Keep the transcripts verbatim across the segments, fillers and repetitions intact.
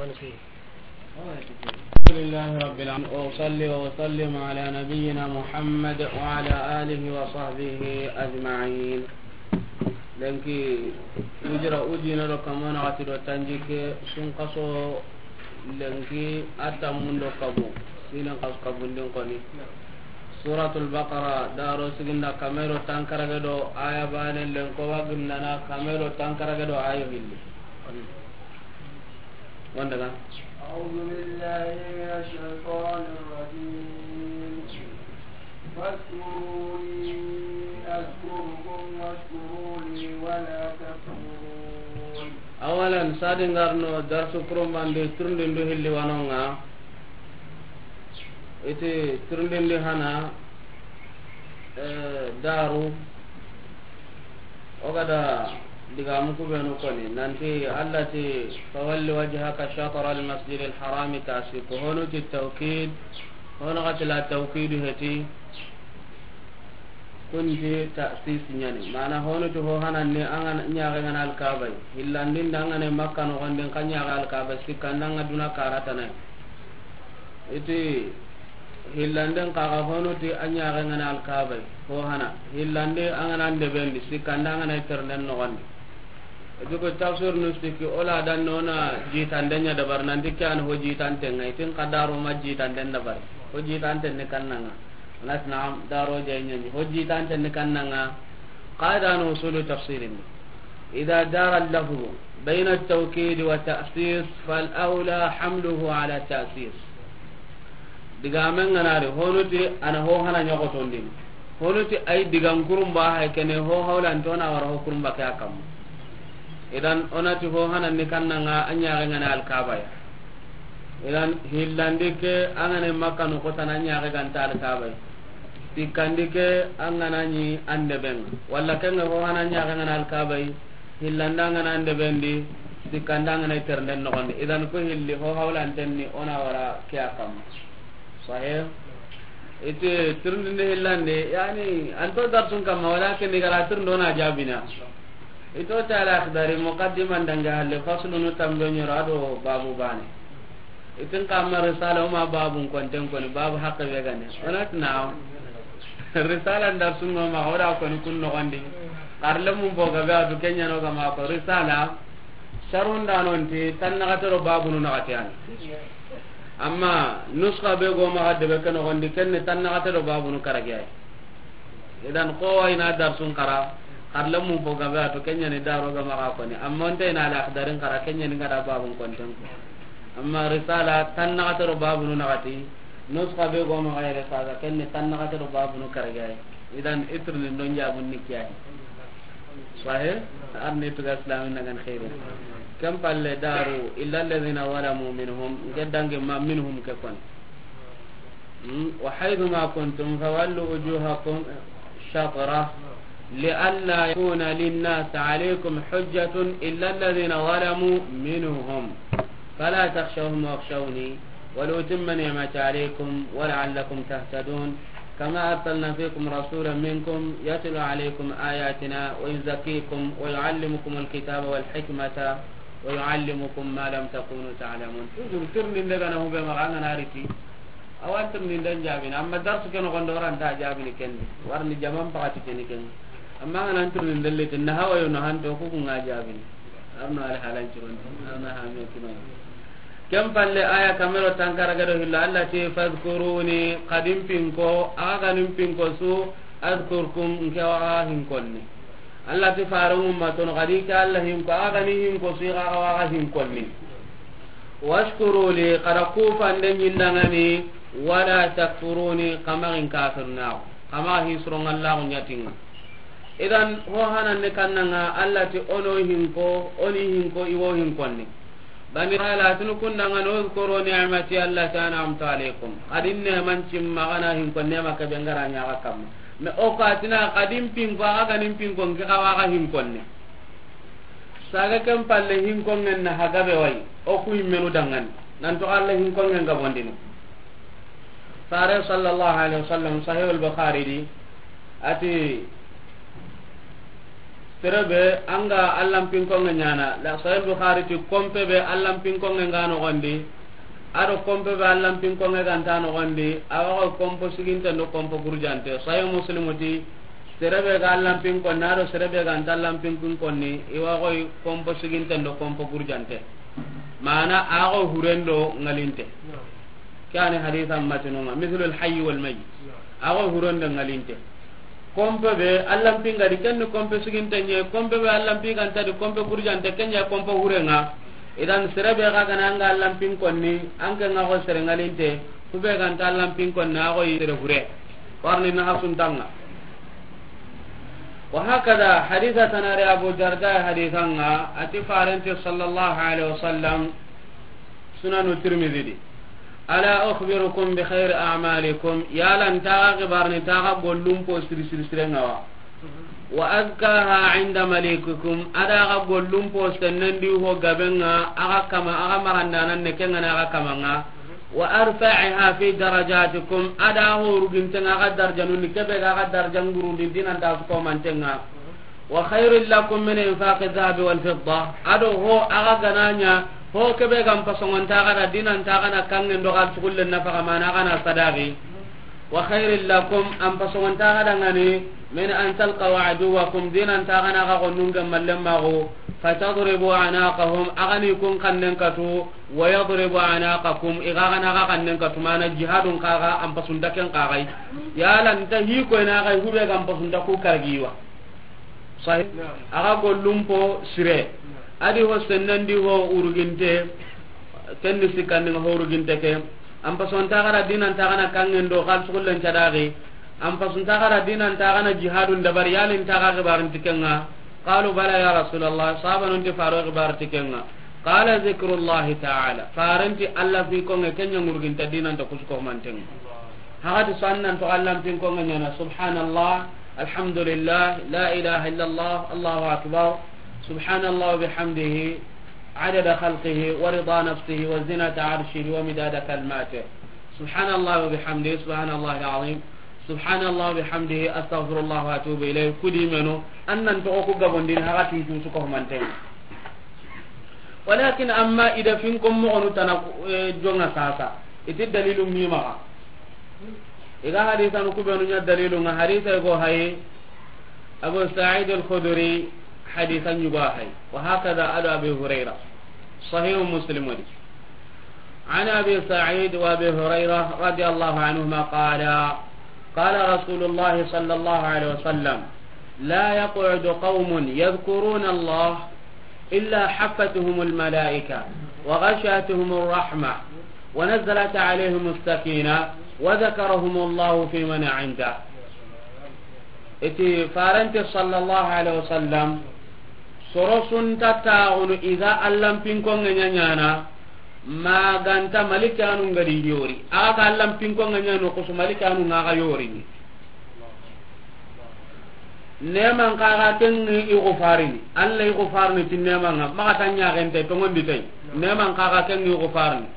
الحمد لله رب العالمين، وأصلي وأسلم على نبينا محمد وعلى آله وصحبه أجمعين. Lenki hijira ujine do kamo naxati do tanjikke, sunkaso lenki a tammun do kabu, sinen kasu kabundin koni. Suratul Baqara, daro siginda kame do tankarage do aya bane, lenko wa gindana kame do tankarage do aya hilli. Wanda ga? أعوذ بالله من الشيطان الرجيم. فاذكروني أذكركم واشكروا لي ولا تكفرون. Awalan, sadin garno darsu kurumbandi turundindu hilli wanonga. Iti turundindi hana, eh, daru. O gada digamu kubenu koni, nanti Allah ti, "Fawalli wajhaka shatra al-masjid al-haram," tasi ko honu ti tawkid, honu gati la tawkidu heti, kunti ta'sis ñani. Mana honu ti ho hananni an ga ñaxe ngana Alkabay. Hillandin da an gana Makka noxondin ka ñaxe Alkabay, sikkandanga duna karatanay. Iti hillanden kaga honu ti a ñaxe ngana Alkabay, ho hana. Hillande an gana ndebendi, sikkande an gana ternden noxondi. Iti ko tafsir nu sikki, ola dan nona jitande ña dabar, nanti ke an ho jitante nga, itin ka daro ma jitande dabar. Ho jitante ni kannanga. Anas naam, daro jay ñani. Ho jitante ni kannanga. Qaida no usulu tafsirin. إذا دار اللفظ بين التوكيد والتأسيس فالأولى حمله على التأسيس. Digamen ganari, honu ti ana ho hana ñoxotondini. Honu ti ay digan kurumba hay kene ho hawlantona wara ho kurumba ke a kamma. Idan, onati ho hananni kannanga a ñaxe ngana Alkabaya. Idan, hillandi ke, an gana Makka noxotana ñaxe ganta Alkabay. Sikkandi ke, an gana ñi an deben. Walla kenga ho hana ñaxe ngana Alkabay. Hillanda an gana an debendi, sikkanda an gana ternden noxondi. Idan, ko hilli ho hawlantenni ona wara ke a kamma. Sahih? Iti tirindinde hillande, yani, anto darsun kamma, walakin igara tirindo na jabina. Ito tala Akhdari, muqaddiman dange halle, faslunu tambe ñoro ado babu bane. Itin kamma risala, o ma babun konten koni, babu haqqe be gane. Onat naam. Risala nda sunno ma, o da koni kun noxondi. Xarle mun fo gabe atu kenya no gama ko risala. Sharunda nonti, tan naxate do babunu naxate yani. Amma nuska be go maxa debe ke noxondi, kenne tan naxate do babunu karage ay. Idan, kowa ina darsun kara, xarle mun fo gabe atu kenya ni daro gama ga koni. Amma onte ina al Akhdarin kara, kenya ni ngada babun konten ko. Amma risala, tan naxate do babunu naxati, nuska be go maxa yere saga, kenne tan naxate do babunu karage ay. Idan, itirni ndon jabun ni kiyahi. Sahih? Arni tuga islamin nangan khairu. Kam palle daru, illa alladhina zalamu minhum, ngedange ma minhum ke kon. وحيث ما كنتم فولوا وجوهكم شطرة لئلا يكون للناس عليكم حجة إلا الذين ظلموا منهم فلا تخشوهم واخشوني ولأتم نعمتي عليكم ولعلكم تهتدون كما أرسلنا فيكم رسولا منكم يتلو عليكم آياتنا ويزكيكم ويعلمكم الكتاب والحكمة ويعلمكم ما لم تكونوا تعلمون. Toujours tirindinde gana hube maxa an gana riti. Awa tirindinde jaabini, amma darsu ke noxondi o ra nta jaabini ken di. Warni jaman pakati keni ken. Amma an gana tirindinde leti, na hawa yo na hanto ku ku nga jaabini. Arno al halan ciron. Arno hame kino. Ken palle aya kame ro tankara gado hillo, Allah ti, "Fadhkuruni," xa di n pinko, axa ga ni n pinko su, "adhkurkum," n ke wa xa hinkonni. Allah ti, "Faran umma tono, xa di ke Allah hinko, axa ga ni hinko su, axa wa xa hinkonni. Washkuru li," xa da kufande ñindangani, "wala takfuruni," xa maxa in kafirnaxu, xa maxa hi suron Allah ñatinga." Idan, ho hananne kannanga, Allah ti, "Ono hinko, oni hinko, iwo hinkonni." Bani Israila atunu kundanga no, "Uzkuru ni'mati allati an'amtu alaykum." Xa di neman cimma xa na hinko nema ke be ngara ñaxa kamma. Me o ka tina xa di n pinko, axa ga ni n pinko, n ke xa wa xa hinkonne. Saga ken palle hinkongen na hagabe way, o ku yimmenu dangani. Nanto Allah hinkongen gabondini. Fare sallallahu alaihi wasallam, Sahih al-Bukhari di, ati, Sere be an ga Allan pinkonŋe ɲaana, la Sahih Bukhari ti, konpe be Allan pinkonŋe ga noxondi, a do konpe be Allan pinkonŋe ga nta noxondi, a wa xo konpo siginten do konpo gurjante. Sahih Muslim ti, sere be ga Allan pinkonni, a do sere be ga nta Allan pinkonni, i wa xo konpo siginten do konpo gurjante. Maana, a xo huren do ŋalinte. Ke a ni hadisa matinunŋa, mithlul hayyi wal mayyit. A xo huren do ŋalinte. Konpe be Allan pinga di, ken ni konpe siginte ɲa, konpe be Allan pinga nta di, konpe gurjante, ken ɲa konpe hurenŋa. Idan sere be ga ga na an ga Allan pinkonni, an ke ŋa xo sere ŋalinte, ku be ga nta Allan pinkonni, a xo i sere hure. Warni na hasuntanŋa. Wa hakada hadisa tanare Abu Darda hadisanŋa, a ti farenti sallallahu alaihi wasallam, Sunanu Tirmidhi di. Ala ukhbirukum bi khayri a'malikum, yala nta xa xibarini nta xa gollun po siri siri sirenŋa wa? Wa azkaha inda malikikum, a da xa gollun po sennen di ho gabenŋa, a xa kama, a xa marandanan ne kenŋa na a xa kamanŋa. Wa arfa'iha fi darajatikum, a da ho rugintenŋa a xa darjanun ni, ke be ga a xa darjan gurundi dinanta su komantenŋa. Wa khairul lakum min infaqi dhahabi wal fidda. A do ho a ga ga na ɲa, ho ke be ga n pasongonta xa da dinanta xa na kanŋen do xa sugullen nafaxa, mana xa na sadaqi. Wa khairul lakum, an pasongonta xa da ŋa ni, min an talqaw aduwakum, dinanta xa na xa xonnun gemmallen maxu, fatadribu anaqahum, a xa ni kun xannen katu, wa yadribu anaqakum, i ga xa na xa xannen katu, mana jihadun xa ga an pasunta ken xa ga yi. Yala nta hi koyna xa yi, ku be ga n pasunta ku karagi wa? Sahih. Naam. A ga gollun po sire. Naam. A di ho sennen di ho uruginte. Ken ni sikkandi ŋa ho uruginte ke. An pasonta xa da dinanta xa na kanŋen do xa sugullen cadaqi. An pasonta xa da dinanta xa na jihadun dabari, yala nta xa xibarinti kenŋa? Qalu bala ya Rasulallah. Sahabanun ti faro xibarinti kenŋa. Qala zikrullahi ta'ala. Farenti Alla fi konŋe ken ɲa ŋuruginta dinanta kusu komantenŋa. Hagati so an nan to Allan pinkonŋe ɲaana, subhanallah, alhamdulillah, la ilaha illallah, Allahu akbar, subhanallah wa bihamdihi, adada khalqihi, wa rida nafsihi, wa zinata arshihi, wa midada kalimatihi. Subhanallah wa bihamdihi, subhanallah al-azim, subhanallah wa bihamdihi, astaghfirullah wa atubu ilayh. Ku di meno, an nan toxo ku gabondini hagati su ko manten. Walakin amma i da finkon moxonu tana, eh, jonŋa sasa. I ti dalilu mi maxa. I ga hadisanu ku benu ɲa dalilu ŋa, hadisa go hayi, Abu Sa'id al-Khudri hadisa ɲugo hayi. Wa hakada ado Abi Hurayra. Sahih Muslim wadi. عن أبي سعيد وأبي هريرة رضي الله عنهما قالا: قال رسول الله صلى الله عليه وسلم: لا يقعد قوم يذكرون الله إلا حفتهم الملائكة وغشيتهم الرحمة ونزلت عليهم السكينة وذكرهم الله فيمن عنده. I ti farenti sallallahu alaihi wasallam, soro su nta taxunu i ga Allan pinkonŋe ɲa ɲaana, ma ga nta malikanu ŋa di yori. A ga Allan pinkonŋe ɲa no kusu malikanu ŋa ga yori ni. Neman xa ga ken ŋa i xufarini. Alla i xufarini ti neman ŋa. Maxa ta ɲaxente tonŋondi tay. Neman xa ga ken ŋa i xufarini.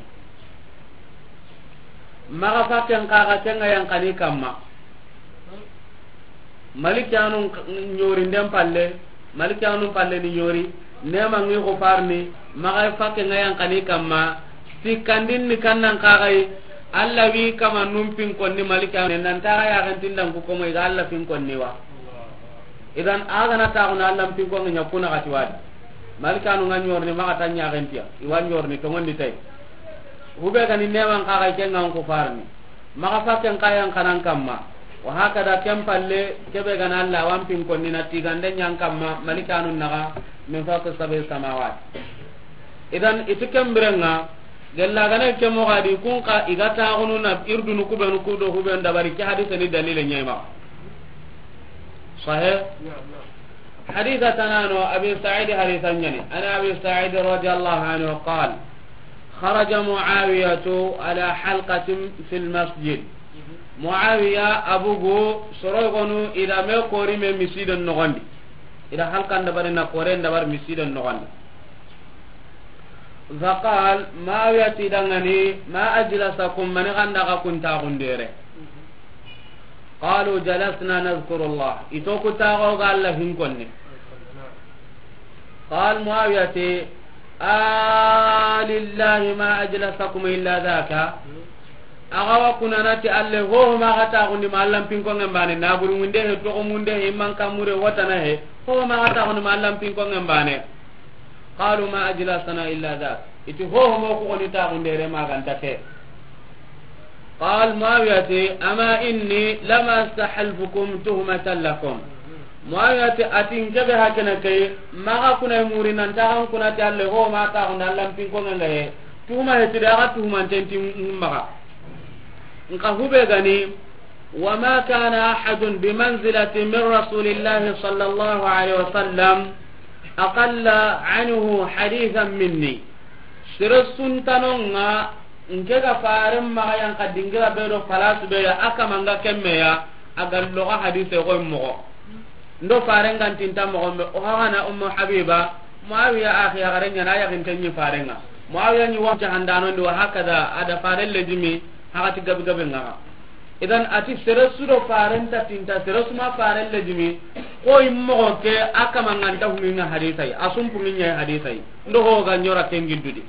Maxa fakken xa ga ken ŋa yanqani kamma. Malikanu ɲori nden palle, malikanu palle ni ɲori, neman ŋa i xufarini, maxa fakken ŋa yanqani kamma, sikkandin ni kannan xa ga yi, Alla wi kama nun pinkonni malikanu, nan ta ga yaxentin dan ku komo i ga Alla pinkonni wa. Idan a ga na taxunu Allan pinkonŋe ɲa kuna xati wadi. Malikanu ŋa ɲorini maxa ta ɲaxentiya, i wa ɲorini tonŋondi tay. Hube ga ni neman xa ga ken ŋa n xufarini. Maxa fakken xa yanqanan kamma. Wa hakada ken palle, kebe ga na Alla wa n pinkonni na tigande ɲan kamma, malikanu naxa, min fawqi sab'i samawat. Idan, i ti ken birenŋa, gella ga na ke moxo a di, kun xa i ga taxunu na irdunu ku benu ku do hubenu dabari, ke hadisa ni dalile ɲa i maxa. Sahih? Hadisa tanano, Abi Sa'id hadisa ɲa ni. An Abi Sa'id radiyallahu anhu qal: خرج معاوية على حلقة في المسجد. Muawiya a bugu soro gonu i da me kori me misiden noxondi. I da halkan dabari na kore dabari misiden noxondi. فقال, Muawiya ti i danŋa ni, ما أجلسكم, mani ga nda xa kun taxundere? قالوا: جلسنا نذكر الله. I to ku taxo ga Alla hinkonne. Qal Muawiya ti, "A lillahi ma ajlasakum illa dhaka." Axa wa kunana ti Alla, hoho ma xa taxundi ma Alla pinkongen bane, naburu munde he, toxo munde he, iman kamure, watana he, hoho ma xa taxundi ma Alla pinkongen bane. Qalu ma ajlasana illa dhak. Iti hoho mo ku xoni taxundere maganta ke. Qal Muawiya ti, "Ama inni lam astahalfukum tuhmatan lakum." Muawiya ti, ati n kebe hakena kay, maxa kuna muri nan taxan kuna ti Alla, hoho ma taxundi Alla pinkongen ga he. Tuhuma he ti daga tuhumanten ti maxa. Nka hube gani, "Wa ma kana ahadun bi manzilati min Rasulillahi sallallahu alaihi wasallam aqalla anhu hadithan minni." Sere suntanonga nke ga faren maxa yan ka dingira be do falasu be ya, aka manga kemme ya, aga loga hadise ko moxo. Ndo faren gantinta moxo be, o hana Ummu Habiba, Muawiya axi ya garen ɲana, ya ginten ɲi farenga. Muawiya ɲi wa jahandano ndi, wa hakaza, ada faren lejimi, hakati gabi gabi ngaga. Idan ati sere su do faren ta tinta, sere su ma faren lejimi, ko immoxo ke, aka manganta huminga hadisai, asumpungi ɲa hadisai. Ndo ho ga ɲora kengi dudi.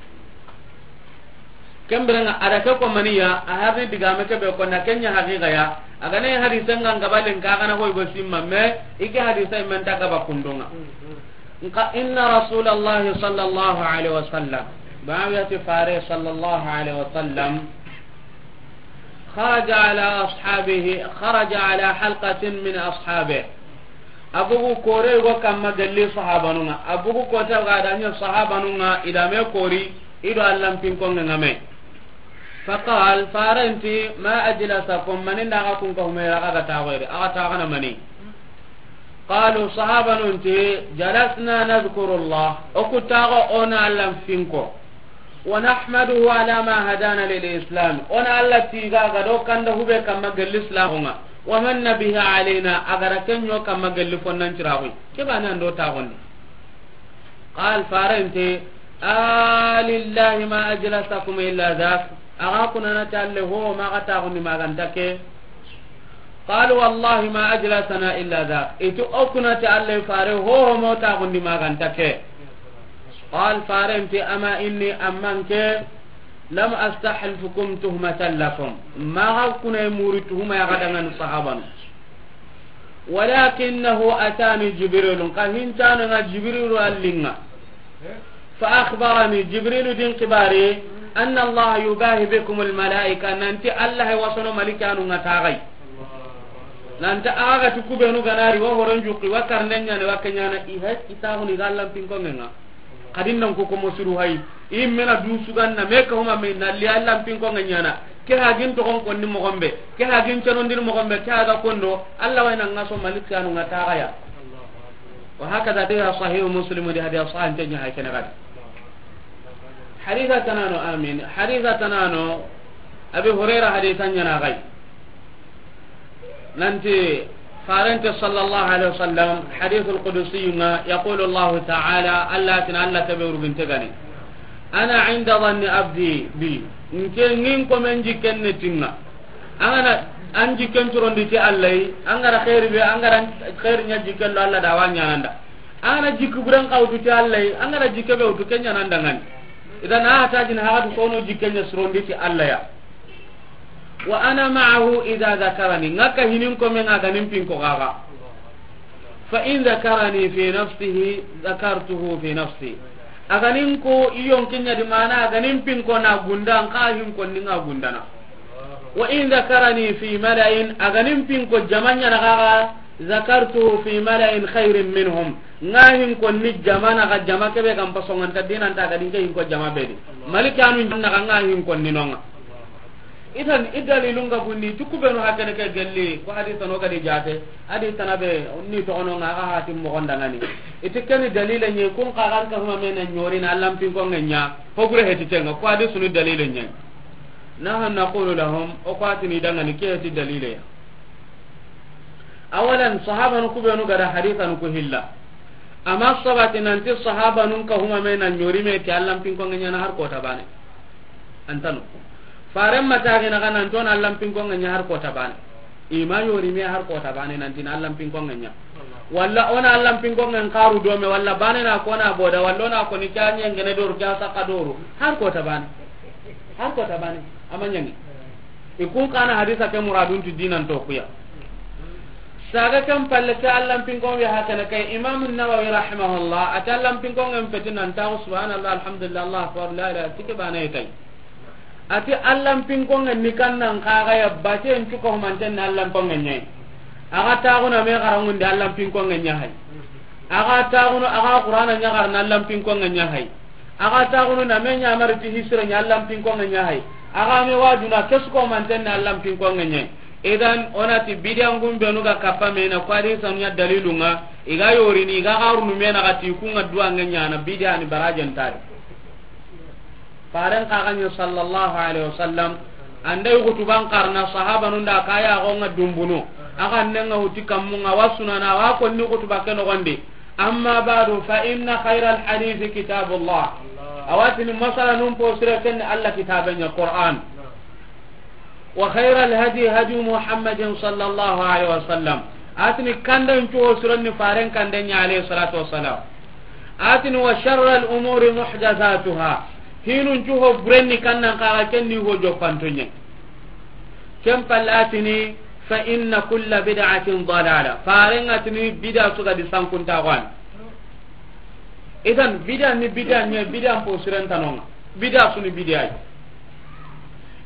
Kemberenga ada ke ko maniya, a hari digame ke be ko na kenya haqiqa ya. Agane hadisen ngan gabalen ka gana hoy go simma me, ike hadisai men ta gaba kundunga. Nka inna Rasulallahi sallallahu alaihi wasallam, Muawiya ti fare sallallahu alaihi wasallam, kharaja ala ashabihi, kharaja ala halqatin min ashabihi. Abugu kore go kamma galli sahabanunga. Abugu kota ga danya sahabanunga idame kori ido Alla pinkonga ngame. Faqal, farenti, "Ma ajlasakum, maninda ga kun ka humera ga taxoyre, aga taxana mani?" Qalu, sahabanun ti, "Jalasna nadhkuru Allah." O ku taxo ona Alla pinko. "Wa nahmaduhu ala ma hadana lil Islam." Ona Alla tiga ga do kanda hube kamma galli Islamunga. "Wa manna bihi alayna," agara kenyo kamma galli fonnan ciraxu. Ke bana ndo taxondi. Qal, farenti, "A lillahi ma ajlasakum illa dhak." Aga kunana ti Alla, hoho ma xa taxundi maganta ke. Qalu, "Wallahi ma ajlasana illa dhak." Itu o kuna ti Alla fare, hoho mo taxundi maganta ke. Qal, farenti, "Ama inni, amman ke, lam astahlfukum tuhmatan lakum." Maxa kuna muri tuhuma ya ga dangan sahabanu. "Walakinnahu atani Jibril." Ka hintano nga Jibril allinga. "Fa akhbarani," Jibril din kibari, "anna Allah yubahi bikum al malaika," nanti Allah wasono malikanu nga tagai. Nanta aga tukubenu ganari wa horon juki wa karnenya ne wa kenyana ihe kitahuni gallan pinkongenga. Kadin nan ko komo suru hay. Immena du suganna me ka huma me na li Alla pinkonga ɲana. Ke hagin to kon konni mo gombe. Ke hagin canondin mo gombe. Ke haga kondo. Alla wayna ngaso malik yanu ngata gaya. Wa hakaza de sahih Muslim de hadiya sahan tanya hay kana gadi. Haditha tanano, amin. Haditha tanano. Abi Hurairah hadithan ɲana gay. Nanti farente sallallahu alaihi wasallam, hadithul qudsi nga, yaqulu Allahu ta'ala, Allah tin Allah tabe urginte gani. "Ana inda dhanni abdi bi." Nke ngin ko men jikken ne tinga. Angana an jikken turondi ti Allah yi, angara khairi be, angara khairi nya jikken do Allah da wanya nanda. Angana jikku buran kawtu ti Allah yi, angara jikke be utu kenya nanda ngani. Idan a hatajin hagatu kono jikken nya surondi ti Allah ya. "Wa ana ma'ahu idha dhakarani." Ngaka hinin ko men aga nin pinko gaga. "Fa in dhakarani fi nafsihi dhakartuhu fi nafsi." Aganin ko iyon kinya di mana aganin pinko na gunda, nka hin ko ninga gundana. "Wa in dhakarani fi mala'in," aganin pinko jamanya na gaga, "dhakartuhu fi mala'in khairin minhum." Nga hin ko ni jamana ga jama kebe kan pasongan ta dinan ta gadin ke hin ko jama bedi. Malikanu na ga nga hin ko ni nonga. Idan i dalilun ga bunni, tukubenu hakene ke gelli, ko hadisa no gadi jate, hadisa na be ni to ono nga ga hatim mo gonda ngani. Iti keni dalile ni kun ka gan ka huma mena nyori na Allah pinko ngenya, ho gure heti tenga, ko hadisu ni dalile ni. Nahnu naqulu lahum, o ko atini dangani ke heti dalile ya. Awalan, sahabanu kubenu gada hadisanu ku hilla. Ama sabati nanti sahabanun ka huma me na nyori me ti Allah pinko ngenya na har kota bane. Antanu. Faren matagi na kanan ton Allah pinko ngenya har kota bane. Ima yori me har kota bane nanti na Allah pinko ngenya. Walla o na Allan pinkonŋen xaru dome, walla bane na ko na boda, walla o na ko ni kya ɲengene doru, kya saka doru. Har ko ta bane. Har ko ta bane. Ama ɲangi. I kun kana hadisa ke muradun tu dinan to kuya. Saga kan palle ke Allan pinkon wi hakana kay Imam Nawawi rahimahullah, ati Allan pinkonŋen peti nan ta subhanallah, alhamdulillah, Allahu akbar, la ilaha, tike bana itay. Ati Allan pinkonŋen ni kannan kaga ya baten cuka humanten na Allan pinkonŋen ɲa yi. Aga taxuna me garangundi Allan pinkonŋen ɲa hay. Aga taxunu aga Qur'ana ɲaxarna Allan pinkonŋen ɲa hay. Aga taxunu na me ɲamari ti hisire ɲa Allan pinkonŋen ɲa hay. Aga me wajuna kesu ko humanten na Allan pinkonŋen ɲa yi. Idan onati bidiyan gumbenu ga kappa me na ko hadisanu ɲa dalilunga. Iga yorini iga garunu me na gati kunga duwanŋen ɲa na bidiya ni barajen tari. Faren kaganyo sallallahu alaihi wasallam, andai hutuban karna sahabanun da kaya gonga dumbuno, aga nenga huti kammunga wa sunana wa konni hutuba ke nogondi. Amma ba'du, fa inna khayral hadithi kitabullah. Awatini masala num po sire ken Allah kitabenya Qur'an. Wa khayral hadi hadi Muhammadin sallallahu alaihi wasallam. Atini kanden cuho siranni faren kanden ɲa alayhi salatu wassalam. Atini wa sharral umuri muhdathatuha. Hinun cuho burenni kannan kaga kenni ho joppanto ɲa. Ken palle atini fa inna kulla bid'atin dalala. Faren atini bid'a suga di sankunta gwan. Idan bid'a ni bid'a ɲa, bid'a po siren tanonga. Bid'a suni bid'a yi.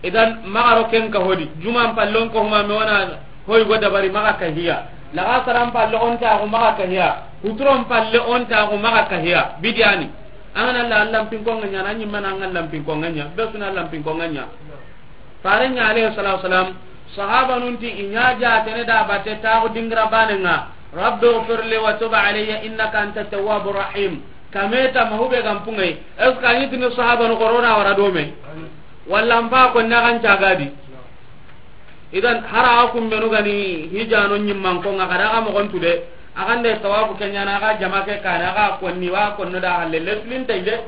Idan magaro ken ka hodi. Juman pallon ko huma me wana hoy go dabari maga ka hiya. Laga saran palle on ta ko maga ka hiya. Hutron palle on ta ko maga ka hiya. Bid'a ni. An Allah Allah pinkonŋen ɲa na ɲi mana an Allah pinkonŋen ɲa. Be suna Allah pinkonŋen ɲa. Faren ɲa alayhi salatu wasalam, sahabanun ti i ɲa jatene da bate taxu dingira banenga, Rabbi ghfirli wa tub alayya innaka anta tawwabur rahim. Kameta mahube gampungay. Est-ce que a ɲi tini sahabanu korona wara dome? Walla mba ko nagan cagadi. Idan hara kumbenu gani hijano ɲimman ko nga kada ga mogon tude. Agande tawafu kenyana ga jama ke kana ga konni wa konno da halle leslin tayde.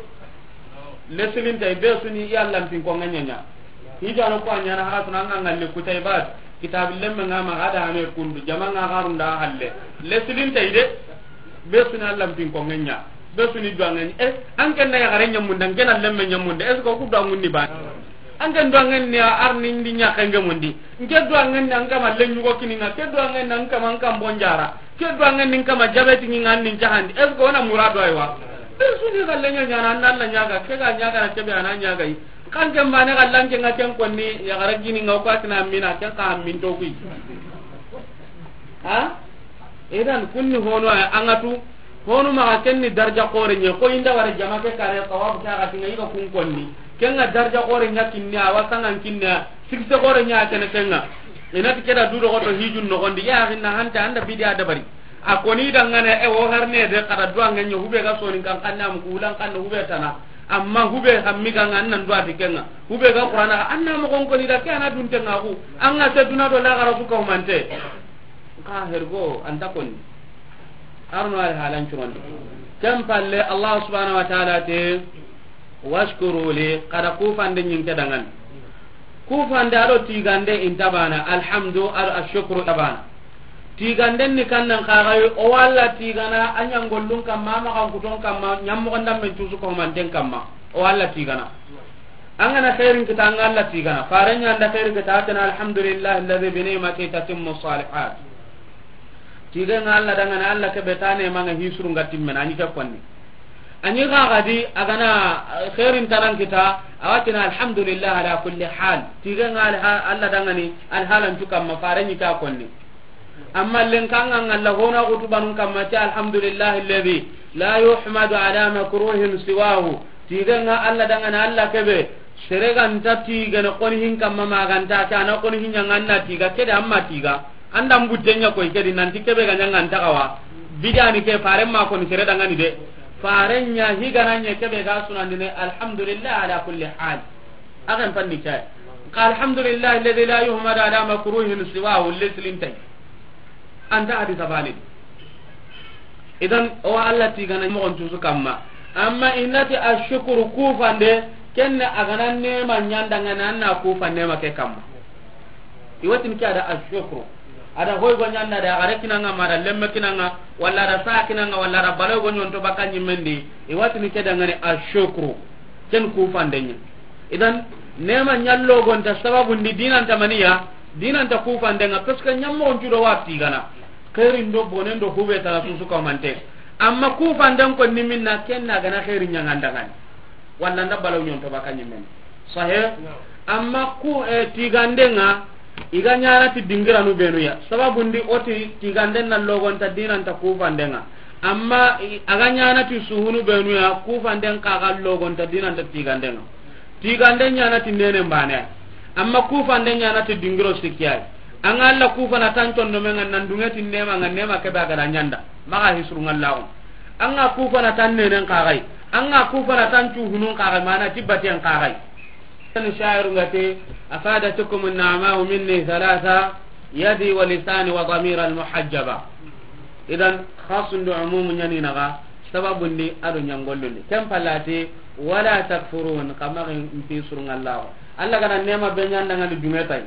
Leslin tay be suni i Allah pinkonŋen ɲa. Hijano ko a ɲana hara tuna nga ngalle kutay ba kitabi lemme nga ma gada hame kundu jama nga garunda halle. Leslin tay de be suni Allah pinkonŋen ɲa. Be suni duwanŋen e an ken na ya gare ɲamunda an ken na lemme ɲamunda est-ce que ku duwanŋun ni ba? An ken duwanŋen ni arni ndi ɲa kenge mundi. Nke duwanŋen ni an kama lenyugo kininga ke duwanŋen ni an kama an kambon jara. Ke duwanŋen ni an kama jabeti ni an nin jahandi. Est-ce que ona murado aywa? Be suni galle ɲa ɲana an Allah ɲaga ke ga ɲaga na kebe ana ɲaga yi. Kan ke mane ga lanke nga ken konni ya gara gini nga ko atina mina ken ka min to kui. Ha? Idan kunni hono ay angatu hono ma kenni darja kore ɲa ko inda wara jama ke kare tawaf ta ga tinga iga kun konni. Ken nga darja kore ɲa kinni awa sangan kinni sikse kore ɲa kene kenga. Inati keda dudo goto hijun no gondi ya hinna hanta anda bidiya dabari. A koni dangane e wo harne de kada duwanŋen ɲa hube ga sonin kan kanna mu kulan kan hube tana. Amma hube hammi ga nga annan duwa ti kenga. Hube ga Qur'ana ga anna mo kon koni da ke ana dun tenga ku. Anga te duna do la gara su ka humante. Ka hergo anta koni. Arno al halan curon. Ken palle Allah subhanahu wa ta'ala te washkuru li kada kufande ɲin ke dangan. Kufande ado tigande intabana alhamdu ado ashukru tabana. Tiganden ni kannan kagayi o walla tigana a ɲangollun kamma a maxan kuton kamma ɲammoxon damben cusu komanten kamma o walla tigana. An gana xeerin kita an ga alla tigana faren ɲanda xeeri kita a tena alhamdulillahi alladi bi nimati tatimmu salihat. Tigenga alla dangana alla kebe tane manga hisuru nga timmena a ɲi ke konni. A ɲi xaxadi a gana xeerin tanan kita a watina alhamdulillahi ala kulli hal. Tigenga alla dangani alhalancu kamma faren ɲi ke a konni. Amma lenkanga ngalla hona kutubanun kamma ti alhamdulillahi alladhi la yuhmadu ala makruhin siwahu. Tigenga alla dangana alla kebe sere ganta tigene koni hin kamma maganta ke ana koni hin ɲanga anna tiga kede amma tiga. Anda mbutte ɲa koy kedi nanti kebe ga ɲanga anta kawa. Bidani ke faren ma koni sere dangani de. Faren ɲa higana ɲa kebe ga sunandine alhamdulillah ala kulli hal. Akan panni kay. Ka alhamdulillah alladhi la yuhmadu ala makruhin siwahu leslintay. Anta hadisa bani. Idan o alla tigana mo on tusu kamma. Amma innati ashkuru kufande kenne agana nema ɲanda ngana anna kufande ma ke kamma. Iwatin ke ada ashkuru. A da hoy go ɲanda da, a ga re kinanga ma da lemme kinanga, walla da sa kinanga, walla da balo go ɲonto baka ɲimmendi, i wa tini ke dangani ashukru. Ken kufandenya. Idan, nema ɲallo gonta sababu ndi dinanta maniya, dinanta kufandenga, parce que ɲammo on cudo wa tigana. Khairin do bonen do hube tana susu ka mante. Amma kufanden ko niminna kenna gana khairin ɲangandangani. Walla nda balaw ɲonto baka ɲimmen. Sahe? Amma ku, eh, tigandenga, i ga ɲana ti dingiranu benuya. Sababu ndi oti tiganden na logonta dinanta kufandenga. Amma i, a ga ɲana ti suhunu benuya, kufanden ka ga logonta dinanta tigandenga. Tigande ɲana ti nene mbane. Amma kufande ɲana ti dingiro sikiyai. Anga Allah kufana tan tondo menga nan dunge ti nema nga nema kebe a ga da ɲanda. Maga hisru ngallahu. Anga kufana tan nenen kagai. Anga kufana tan cuhunun kagai, mana tibbatiyan kagai. Kan shairu ngate, afadatukum an-na'ma'u minni thalatha, yadi wa lisani wa dhamira al-muhajjaba. Idan, khasun do umumu ɲani naga, sababu ndi ado ɲangollu ndi. Ken palati, wala takfurun, kama mpi surungallahu. Allah gana nema be ɲanda ngani dunge tay.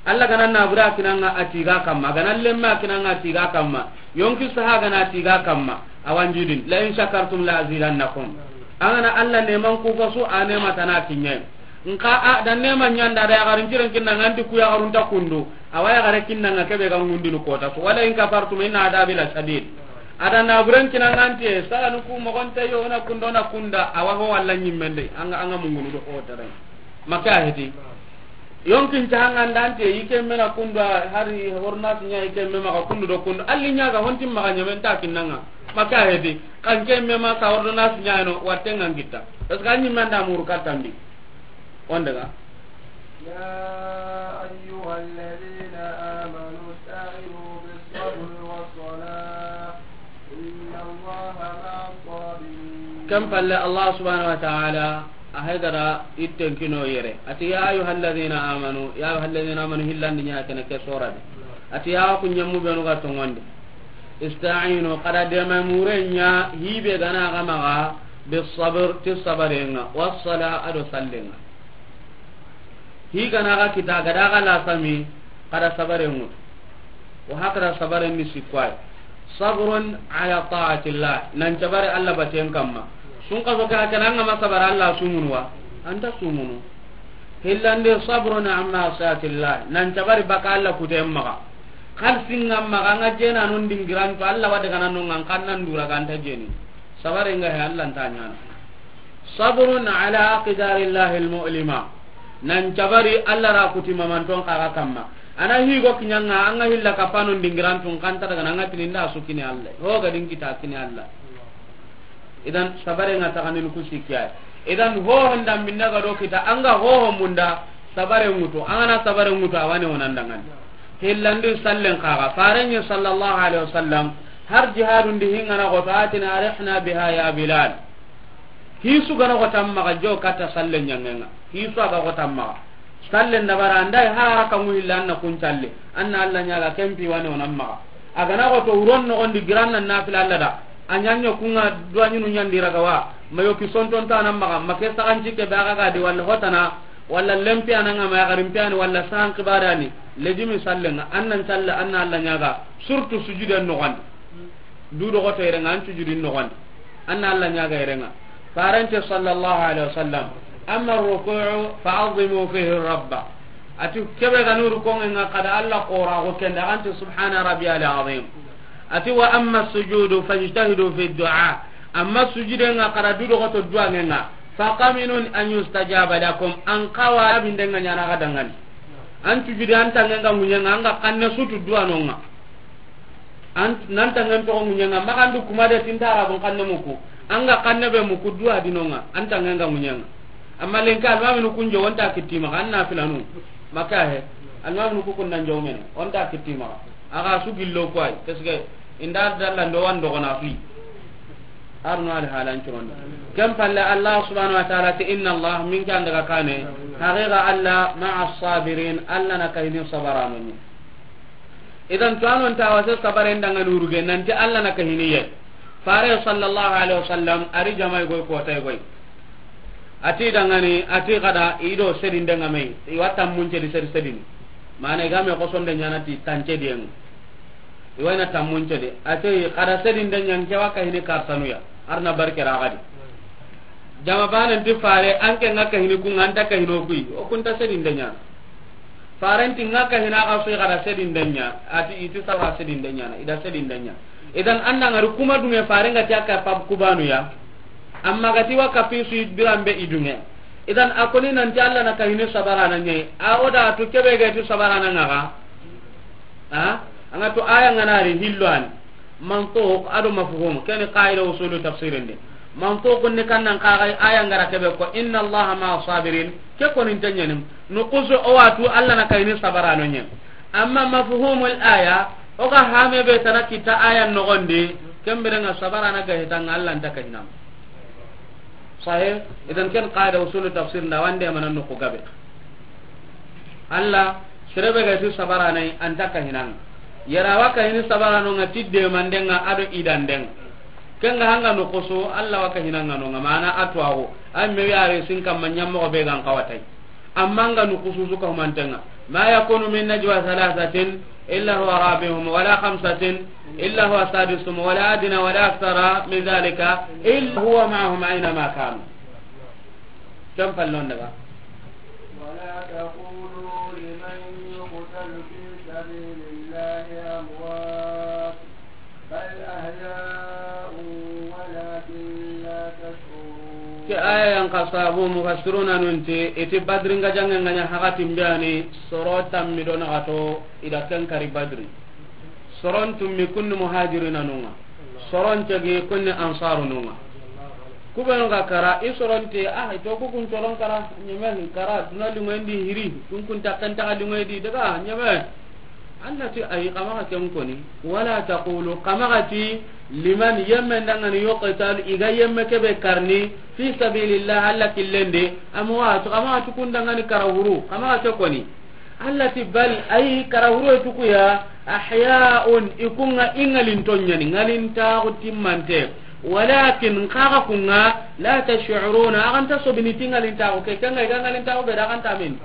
Allah gana nabura kinanga atiga kamma, gana lemma kinanga atiga kamma, yonki saha gana atiga kamma, awanjidin, la in shakartum la azidannakum. Angana Allah neman kufasu, a nema tana kinyai. Nka a da nema ɲanda da yagarin ciren kinna nganti ku yagarun ta kundu, awa yagare kinna nga kebe ga ngundinu kota su, wala in kafartum inna adabi la shadid. Ada naburen kinna nganti, sala nuku mogonte yo na kundo na kunda, awa ho walla nyimmende, anga, anga mungunu do ho tere. Maka heti. Yonkin cahanga ndante, ike mena kundu, hari hornas nya ike mema ka kundu do kundu. Alli nya ga honti maga nyamen ta kinnanga. Maka heti. Kan ke mema sa ordonnance nya no, watenga ngitta. Parce que anyi manda muru katandi. Wonde ga. يا أيها الذين آمنوا استعينوا بالصبر والصلاة إن الله مع الصابرين. Ken palle Allah subhanahu wa ta'ala a haydara itten kino yere. Ati, "Ya ayyuhalladhina amanu, ya ayyuhalladhina amanu," hillandi nya kene ke sora de. Ati, "Ya ku nyammu benu ga tongonde. Ista'inu, kada dema murenya, hibe gana ga maga, bis sabr, ti sabarenga, was sala, ado sallenga." Hi gana ga kita, gada ga la sami, kada sabare ngutu. Wa hakada sabare ni sikwai. Sabrun ala ta'atillah. Nan cabare Allah baten kamma. Sun kaso ka kana nga ma sabare Allah sumunu wa. Anta sumunu. Hillande sabrun amma sa'atillah. Nan cabare baka Allah kutem maga. Kal singam maga nga jena non dingiran to Allah wade kana non ngan kannan dura ganta jeni. Sabare nga he Allah ntanyana. Sabrun ala aqdarillahi almu'lima. Nan cabari Allah ra kuti mamanton kaga kamma. Ana higo kinyanga anga hilla kapanon dingirantun kanta daga nanga tininda su kini Allah. Ho ga din kita kini Allah. Idan sabare nga taganin ku sikya. Idan ho honda minda ga do kita anga ho ho munda sabare ngutu. Angana sabare ngutu awane wonandangan. Hillandi sallen kaga. Farenye sallallahu alaihi wasallam har jihadun di hingana goto atina arihna biha ya Bilal. Hisu gana ko tamma ga jo kata salle nyangenga. Hisu aga ko tamma. Salle ndabara andai haraka mu illa anna kun salle. Anna Allah nyaga kempi wani onamma. Agana ko to uron no gondi giranna nafila Allah da. Anyanyo kunga duanyinu nyandi ragawa. Mayo ki sonton ta namma. Make saganci ke baga ga di walla hotana. Walla lempi ananga ma garimpi ani walla san kibarani. Lejimi sallenga. Annan salle anna Allah nyaga. Surtout sujudan no gondi. Du dogoto yerenga an sujudin nogondi. Anna Allah nyaga yerenga. Farante sallallahu alaihi wasallam. Amma ruku'u fa'azzimu fihi rabba. Ati kebe ga nuru kongenga kada Allah qora go kenda anti subhana rabbiyal azim. Ati wa amma sujudu fajtahidu fi du'a. Amma sujudenga kada du dogoto duangenga. Faqaminun an yustajaba lakum. An kawa abindenga nyana ga dangani. An sujudi an tangenga munyenga anga kanne sutu duanonga. An, nan tangen togo ŋuɲenga, magandu kuma de tinta arabun kanne muku. Anga kanne be muku duwa dinonga, an tangen ga ŋuɲenga. Amma lenka almaminu kun jo, onta kittima, an na filanu. Maka he, almaminu ku kun nan jo mene, onta kittima. Aga su gillo kwai, parce que inda dalla ndo wan dogona fi. Arno al halan curondi. Kem palle Allah subhanahu wa ta'ala ti inna Allah min kan daga kane, haqiqa Allah ma'a sabirin, Allah na kahini sabaranoni. Idan to anon ta wase sabaren danga nuruge nanti Allah na kahiniye. Fare sallallahu alaihi wasallam ari jamai goy ko tay goy. Ati dangani ati kada ido sedin danga mai. Iwata mun cedi sedi sedin. Mana ga me ko sonde nyana ti tance dien. I wa i na tammun cedi. A ti, xa da sedinde ɲa, n ke wa kahini kartanu ya. Ar na barke ra xa di. Jama baane nti fare, an ke ŋa kahini ku ŋa, an ta kahini o ku yi. O ku nta sedinde ɲaana. Fare nti ŋa kahini xa su yi, xa da sedinde ɲa. A ti, i ti sawa sedinde ɲaana, i da sedinde ɲa. Idan, an da ŋari kuma duŋe, fare ŋa ti a ka pab kubanu ya. Amma ga ti wa kapi su yi biran be i duŋe. Idan, a koni nanti Alla na kahini sabarana ɲa yi. A o da tu kebe ga ti sabarana ŋa ga. Ha? A ŋa tu aya ŋa na ri hillo an. Mantuq a do mafhum, ken ni qaida usulu tafsirin de. Mantuq ni kan nan xa ga aya ŋa ra kebe ko, "Inna Allaha ma'a sabirin." Ke koni nta ɲaana. Nukusu o wa tu Alla na kahini sabarano ɲa. Amma mafhumul aya, o ga hame be tana kita aya noxon di, ken bire ŋa sabarana ga hita ŋa Alla nta kahina. Sahih. Idan ken qaida usulu tafsir nda wande mana nuku gabe. Alla, sere be ga ti sabarana yi, an ta kahina ŋa. Yara wa kahini sabarano ŋa ti de mande ŋa a do i dande ŋa. Ken ŋa hanga nukusu, Alla wa kahina ŋa no ŋa, mana a tuwaxu. Ay me yare sin kamma ɲammoxo be ga n xawa tay. Amma ŋa nukusu su ka humanten ŋa. Ma yakunu min najwa thalathatin illa huwa rabi'uhum wala khamsatin illa huwa sadisuhum wala adna wala akthara min dhalika illa huwa ma'ahum aina ma kanu. Ken pallon daga. ولا تقولوا لمن يقتل في سبيل الله أموات بل أحياء ولكن لا تشعرون. Ke aya yan xa sabu mufassiruna nun ti, i ti Badri ŋa janŋe ŋa ɲa hakatin be ani, soro tammi do naxato i da ken kari Badri. Soron tummi kun ni muhajirina nun ŋa. Soron cegi kun ni ansarunun ŋa. Ku be nu ga kara, i soron ti, ah, i to ku kun soron kara, ɲeme kara, duna liŋoyen di hiri, kun kun ta kan ta liŋoyen di daga, ɲeme. Alla ti ayi, xa maxa ken koni. Wala taqulu, xa maxa ti, liman, yemme nda ŋa ni, yuqtal, i ga yemme kebe karni, fi sabilillah, Alla killen di, amwat, xa maxa ti kun da ŋa ni kara huru, xa maxa ke koni. Alla ti bal, ayi, kara huru tu ku ya, ahya'un, i ku ŋa i ŋalinton ɲa ni, ŋalintaxu timmante. Walakin, xa ga ku ŋa, la tash'uruna, a ga nta sobini ti ŋalintaxu ke, ken ŋa i ga ŋalintaxu be da a ga nta men.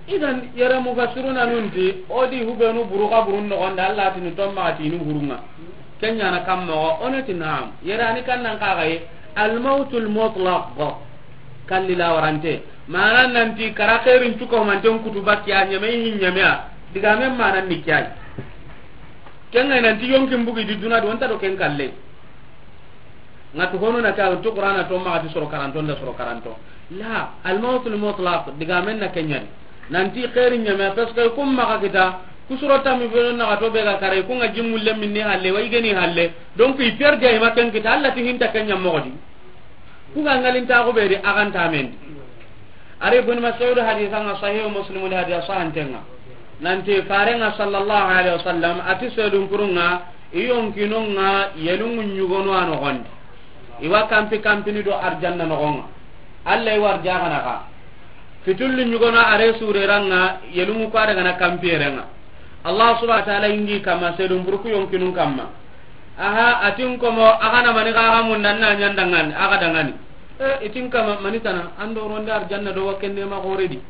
Idan, yere mufassiruna nun ti, o di hubenu buru xa burun noxon da, Alla ti ni tomma ti ni hurun ŋa. Ken ɲa na kam moxo, o na ti naam. Yere ani kan nan xa ga yi, al mawtul mutlaq. Kalli la warante. Mana nan ti kara xeerin cuko manten kutu bakki a ɲeme hin ɲeme a. Diga men mana ni kiyai. Ken ŋa nan ti yonkin bugi di duna do nta do ken kalle. Ŋa tu hono na ka tu Qur'ana to ma ti soro karanto nda soro karanto. La, al mawtul mutlaq, diga men na kenyani. Nan ti xeeri ɲeme, parce que kum maxa kita, ku soro tammi be na ga to be ga kare, ku ŋa jimmu le minni halle, wa i geni halle. Donc, i perde ay ma ken kita, Alla ti hinta kenya moxo di. Ku ga ŋalintaxu be di, a ga nta men di. Ari Ibn Mas'ud hadisa ŋa Sahih Muslim di hadisa sahanten ŋa. Nan ti Faren ŋa sallallahu alaihi wasallam, a ti sedun purun ŋa, i yonkinun ŋa, yelungu ɲugonu a noxon di. I wa kampi kampini do arjanna noxon ŋa. Alla i wa arjaxana xa. Fitullu ɲugono a re sureran ŋa, yelungu ku a daga na kampiyerenŋa. Allah subhanahu wa ta'ala ingi kama sedun burku yonkinun kamma. Aha, a tin komo, a ga na mani xa ga munda na ɲa n dangani, a ga dangani. E, i tin kama mani tana, an do ronde arjanna do wa kenne ma xore di.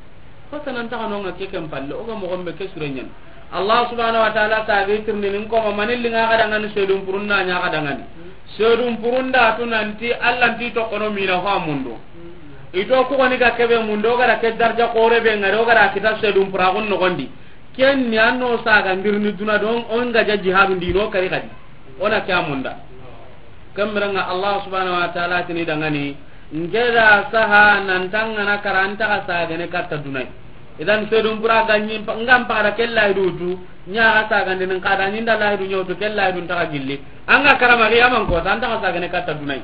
Ko tana nta xa no ŋa ke ken palle, o ga moxo be ke sure ɲan. Allah subhanahu wa ta'ala ta ga tirni nin komo mani linga ga dangani sedun purun na ɲa ga dangani. Sedun purun da tu nanti Allah nti to kono mina fa mundo. I to ku goni ga kebe mundo, o ga da ke darja xore be ŋari, o ga da kita sedun puraxun noxon di. Ken ni an no saga ndirni duna don, o n ga ja jihadun di no kari xadi. O na ke a munda. Kambiranŋa Allah subhanahu wa ta'ala tini dangani, n ke da saha nan tangana kara an ta ga sagene katta dunay. Idan sedun pura ga ɲi n ga n paga da ke lahidu tu, ɲa ga sagandi nin kada ɲi n da lahidu ɲa wutu ke lahidu n ta ga gilli. An ga karama xiyaman ko, an ta ga sagene katta dunay.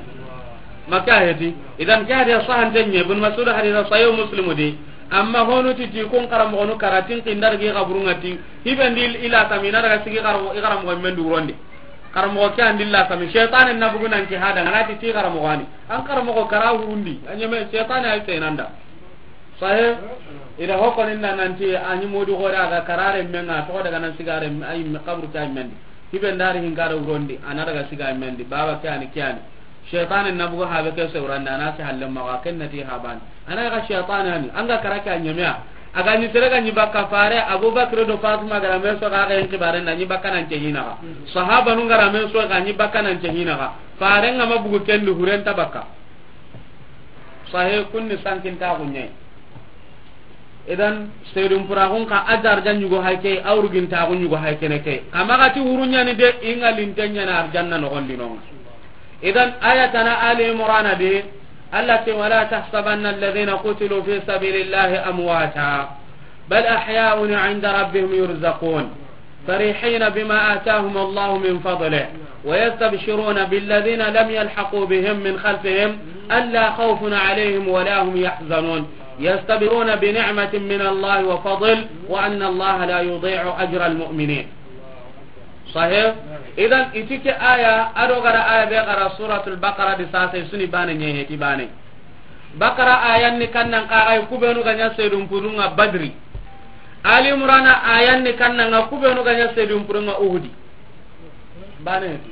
Makka heti. Idan ke hadisa sahante ɲa, Ibn Mas'ud hadisa Sahih Muslim di. Amma honu ti ti kun karamoxonu kara tin kindar gi xaburunŋa ti. Hibendi ila tamina daga sigi xaramoxo, i xaramoxo men du wurondi. Xaramoxo ke andi la sami. Shaytan na bugu nan ki hada, ngana ti ti xaramoxo ani. An xaramoxo kara hurundi. A ɲeme shaytan ay tenanda. Sahe, ida hoko ninda nanti, a ɲi modi xore a ga karare menga, to daga nan sigare, ay me xabru ke ay mendi. Hibe ndari hin kara wurondi, ana daga siga mendi, baba ke ani ke ani. Shaytan na bugu habe ke se wuranda, ana ke halle maxa, ken nati habani. Ana ga shaytan ani, an ga kara ke a ɲeme ya. A ga ɲi sere ga ɲi bakka fare, Abubakar do Fatima ga ra me so ga ga yin kibare na ɲi bakka nan ce hina ga. Sahaba nun ga ra me so ga ɲi bakka nan ce hina ga. Fare nga ma bugu ken di huren ta bakka. Sahe kunni sankin ta gunyai. Idan, seedun puraxun xa a darja ɲugo hay ke, a wurgintaxu ɲugo hay kene ke. Xa maxa ti wuru ɲani de, i ŋa linte ɲana arjanna noxondi no ŋa. Idan, aya tana Ali Imrana de, Allah ti, "ولا تحسبن الذين قتلوا في سبيل الله أمواتا، بل أحياء عند ربهم يرزقون." فرحين بما آتاهم الله من فضله ويستبشرون بالذين لم يلحقوا بهم من خلفهم ألا خوف عليهم ولا هم يحزنون يستبشرون بنعمة من الله وفضل وأن الله لا يضيع أجر المؤمنين. Sahih. Idan itike aya ado gara aya be gara Suratul Baqara di sasa suni bane ɲehe ti bane. Bakara ayan ni kannan kaxay kubenu ga ɲa seedun purunga Badri. Ali Imrana ayan ni kannanga kubenu ga ɲa seedun purunga Uhudi. Bane ti.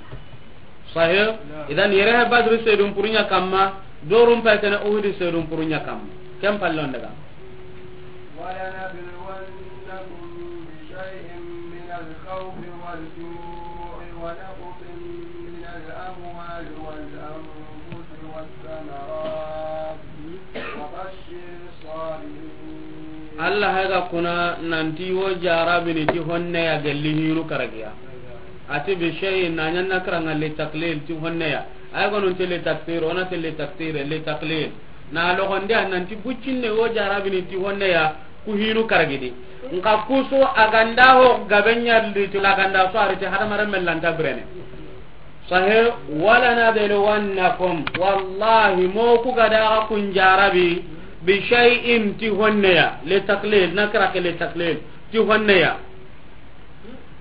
Sahih. Idan yere ha Badri seedun purunya kamma, dorum pa tana Uhudi seedun purunya kamma. Kem pallon daga. ولنبلونكم بشيء من الخوف والجوع ونقص من الأموال والأنفس والثمرات وبشر الصابرين. Allah hayga kuna nanti wo jarabini ti honne ya gelli hinu karagiya. Ati bi shay na ɲanna karanga li taklil ti honne ya. Ay gonun ti li taksir, ona ti li taksir, li taklil. Na logonde a nanti buccinne wo jarabini ti honne ya ku hinu karagidi. Nka kuso a ganda ho gabe ɲalli ti laganda so ari ti hadamaren mellanta birene. Sahe, ولنبلونكم, wallahi mo ku gada ga kun jarabi, bi shay'in ti honne ya, li taklil, nakira ke li taklil, ti honne ya.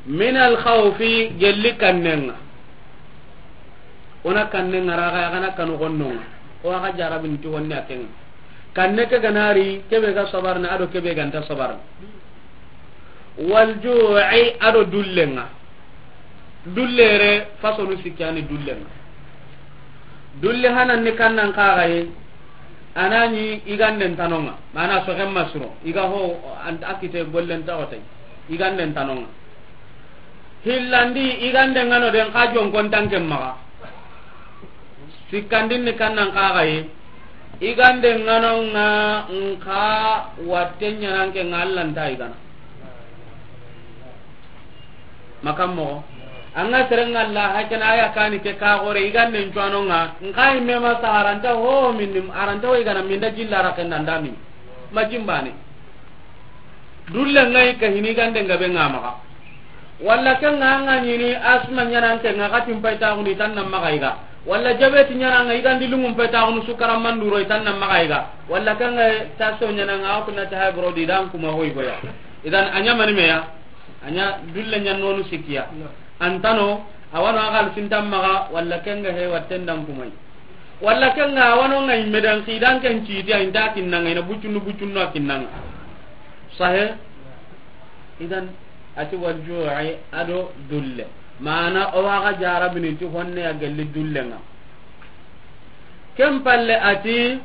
Min al khawfi, gelli kannenga. Ona kannenga raga ya gana kanu gonnonga. O aga jarabin ti honne ya kenga. Kanne ke ganari, kebe ga sabarna, ado kebe ganta sabarna. Wal ju'i, ado dullenga. Dullere fasonu sikkani dullenga. Dulle hanan ni kannan kagaye. Anani iganden tanonga. Mana sogen masuro. Iga ho an akite gollen tawatay. Iganden tanonga. Hillandi igande ngano den ka jonkon tanke maga. Sikkandin ni kannan kagaye. Igande ngano nga nka watte ɲananke nga Alla nta igana. Makam mogo. Anga serenga Alla hakena aya kani ke ka gore igande ncuano nga. Nka imme ma saharanta ho minni aranta ho igana minda jilla rakenda ndami. Majimbane. Dulle ngai ka hini gande ngabe nga maga. Walla ke nga nga nyini asma ɲananke nga katin payta guni tan nan maga iga. Walla jabeti ɲananga igandi lungun payta gunu sukara manduro tan nan maga iga. Walla ke nga taso ɲananga akuna ta hay brodi dan kuma hoy goya. Idan anya mani meya. Anya dulle ɲanonu sikiya. Antano awano agal sintan maga walla ke nga he watten dan kumai. Walla ke nga wano nga imme dan kidan ken citi a inta kinnanga ina bucunnu bucunnu a kinnanga. Sahe. Idan ati wal ju'i ado dulle. Mana o waga jarabini ti honne ya gelli dullenga. Ken palle ati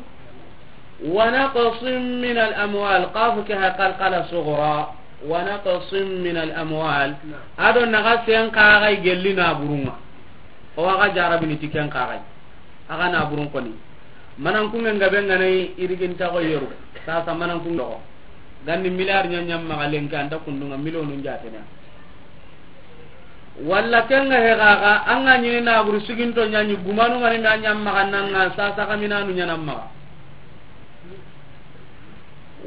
wa naqsin min al amwal, qafu ke ha qalqala sughra. Wa naqsin min al amwal. Ado naga sen kagai gelli na burunga. O waga jarabini ti ken kagai. Aga na burun koni. Manan kunge ngabe nganai irigin tago yeru. Sasa manan kunge ko. Gandi milliard ɲa ɲam maga lenke anta kundunga millionu jatena. Walla kenga he gaga anga ɲini na buru siginto ɲaɲi gumanu ngani na ɲam maga nanga sasa kaminanu ɲanam maga.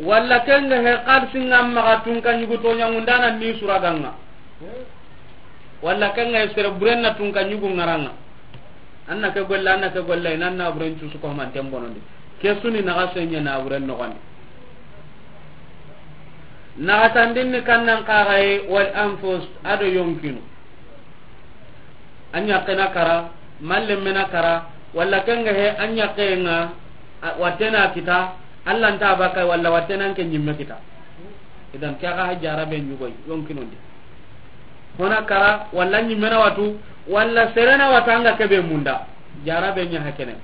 Walla kenga he xalisi ngam maga tunka ɲugu to ɲangundana ni suraganga. Walla kenga he sere burenna tunka ɲugu ngaranga. Anna ke golle, anna ke golle, inan na buren cusu ko manten bonondi. Ke suni naga senya na buren nogondi. Naga tandinni kannan kagaye wal anfus ado yonkinu. Anya kena kara, malle mena kara, walla kenga he anya kenga, a, watena kita, Allah nta baka walla watena ke nyimme kita. Idan ke ga ha jarabe nyugoi, yonkinu ndi. Hona kara, walla nyimme na watu, walla serena watanga kebe munda. Jarabe nya hakene.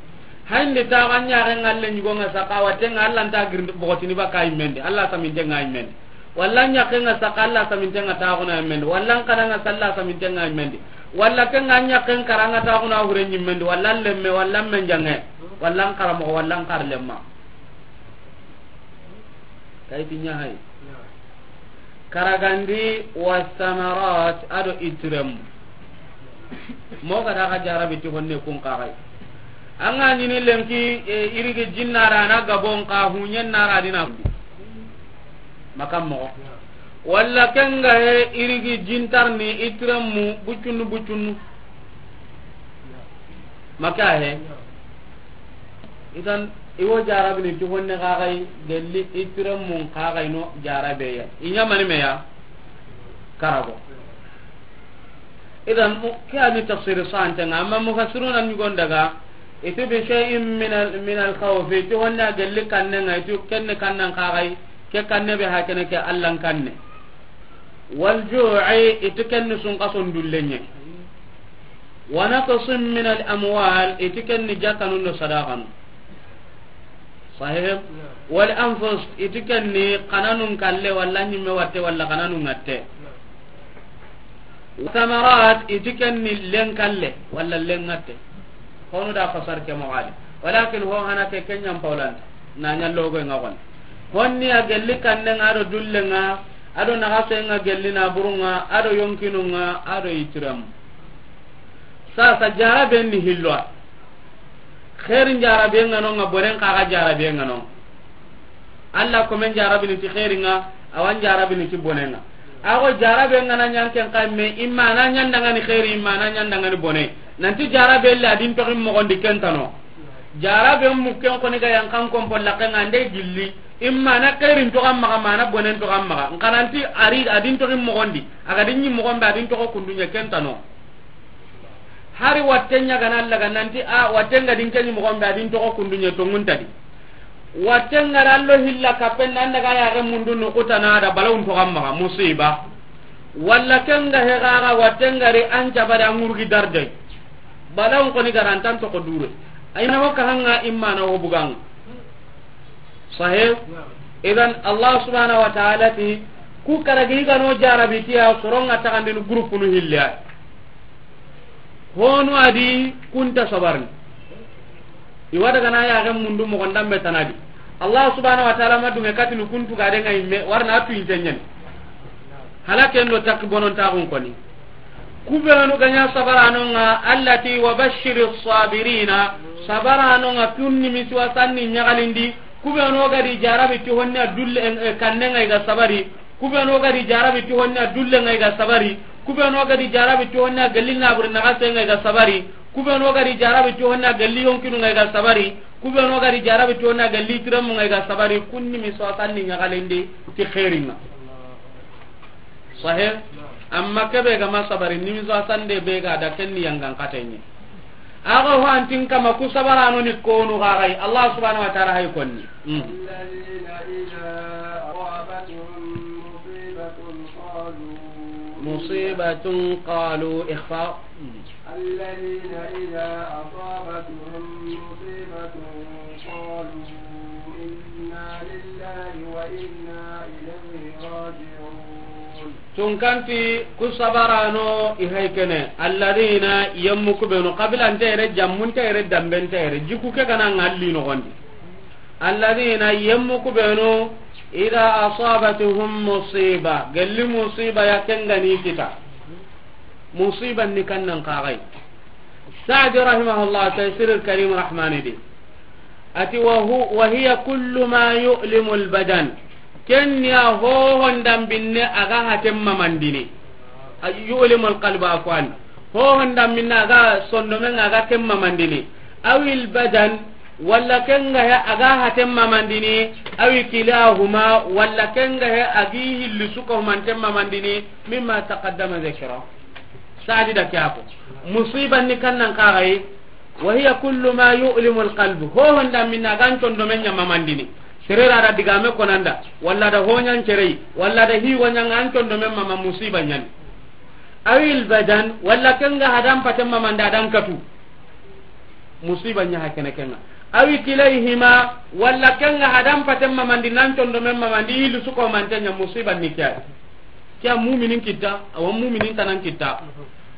Hayndi taxu an ɲaxen ŋa le ɲugo ŋa saxa, watte ŋa Alla nta girindi bogotini baka yimmendi, Alla saminte ŋa yimmendi. Walla an ɲaxen ŋa saxa, Alla saminte ŋa taxuna yimmendi. Walla an xanan ŋa saxa, Alla saminte ŋa yimmendi. Walla ken ŋa an ɲaxen kara ŋa taxuna hure ɲimmendi. Walla an lemme, walla an menjange, walla an xaramoxo, walla an xarlemma. Kayti ɲa hay. Karagandi wa samarat, a do itiremu. Mo ga da xa jarabi ti honne kun kaxay. An ga ɲini lenki, e, irigi jinnara na gabon ka huɲen nara dina. Makam mo. Walla ken ga he irigi jintarni itiremu bucunu bucunu. Maka he. Idan, i wo jarabini ti honne kaxay, gelli itiremun kaxay no jarabeya. I ɲamani meya? Karago. Idan, mu-, ke ani tafsiri santenga, amma mufassiruna ɲugon daga, iti bi shay'in min al, min al khawfi, ti honne a gelli kannenga, iti kenne kannen kaxay, ke kanne be hakene ke Allan kanne. Wal ju'i, iti kenni sunkason dullenye. Wa naqsin min al amwal, iti kenni jakanun do sadaqanu. Sahih? Wal anfus, iti kenni kananun kalle, walla ɲimme watte, walla kananun ŋatte. Wa thamarat, iti kenni len kalle, walla len ŋatte. Honu da fasar ke moxali. Walakin ho hana ke kenyan paulanta. Na ɲa logo nga gon. Honni a gelli kannenga, a do dullenga, a do naxasenga gelli naburunga, a do yonkinunga, a do itiremu. Sasa jaraben ni hilloa. Xeerin jaraben ŋa no ŋa, bonen kaxa jaraben ŋa no. Alla komen jarabini ti xeeringa, awan jarabini ti bonenga. Ago jarabe ngana ɲan ken kame, imma na ɲan dangani xeeri, imma na ɲan dangani bone. Nanti jarabe le adin toxi moxondi kentano. Jarabe mukken koni ga yan kan kompol lakenga nde gilli. Imma na xeerin toxan maxa, mana bonen toxan maxa. Nkananti ari adin toxi moxondi. Aga dinni moxonbe adin toxo kunduɲe kentano. Hari watten ɲa gana laga nanti a watten ga din keni moxonbe adin toxo kunduɲe tonguntadi. Watten ga ra lo hilla kappen nan daga yaxe mundu nukutana da balawun toxan maxa musiba. Walla ken ga he gaga watten ga ri an cabari an ŋurgi darjay. Balawun koni garantan toxo dure. Ayna ho kahanga immana ho buganga. Sahih? Idan Allah subhanahu wa ta'ala ti ku karagi gano jarabi tiya soronga tagandini groupe nu hilla. Honu adi kunta sabarni. Iwa daga na yaxe mundu moxon dambe tanadi. Allah subhanahu wa ta'ala ma dunge katini kuntu gade nga imme, warna atu intenyen. Hala ken do takki bonon taxun koni. Kubenu ganya sabaranonga, allati wa bashiri sabirina. Sabaranonga kunni misiwa sanni ɲagalindi. Kubenu gadi jarabi ti honna dulle, eh, eh, kannenga iga sabari. Kubenu gadi jarabi ti honna dulle nga iga sabari. Kubenu gadi jarabi ti honna galli naburi naxase nga iga sabari. Kubenu gadi jarabi ti honna galli yonkinu nga iga sabari. Kubenu gadi jarabi ti honna galli tiremu nga iga sabari. Kunni mi so sanni ɲagalindi ti xeeringa. Sahih? Amma kebe ga ma sabari, ni mi so sande be ga da kenni yangan katenye. Ago ho antin kama ku sabarano ni konu gagai. Allah subhanahu wa ta'ala hay konni. Mm. الذين إذا أصابتهم مصيبة قالوا مصيبة قالوا إخفاء. الذين إذا أصابتهم مصيبة قالوا إنا لله وإنا إليه راجعون. Tunkanti ku sabarano i hay kene, alladina yemmu kubenu, qabila ntere, jammun tere, damben tere, jiku ke kana ngalli nogondi. Alladina yemmu kubenu, ida asabatuhum musiba, gelli musiba ya kengani kita. Musiba ni kannan kagai. Sa'di rahimahullah, Taysir al-Karim Rahmani di. Ati wa hu-, wa hiya kullu ma yu'limu al-badan. Ken ya hohon dambinne aga hatem mamandini. Ay, yu'limu al-qalba, afwan. Hohon dambinne aga sondomen aga kem mamandini. Awil badan, walla kenga he aga hatem mamandini. Awi kilahuma, walla kenga he agi hilli suka humantem mamandini. Mimma taqaddama dhikra. Sa'di da kiyako. Musiba ni kannan kagai. Wa hiya kullu ma yu'limu al-qalb. Hohon da minna gan tondo men ɲa mamandini. Serera da digame konanda, walla da honyan cerei, walla da hiwa ɲanga an tondo men mama musiba ɲani. Awil badan, walla kenga hadan paten mamanda dan katu. Musiba ɲa hakene kenga. Awi kilayhima, walla ken ŋa hadan paten mamandi, nan condomen mamandi, i hilli su ko manten ɲa, musiba ni ke ya. Ke ya muminin kita, awa muminin tanan kita.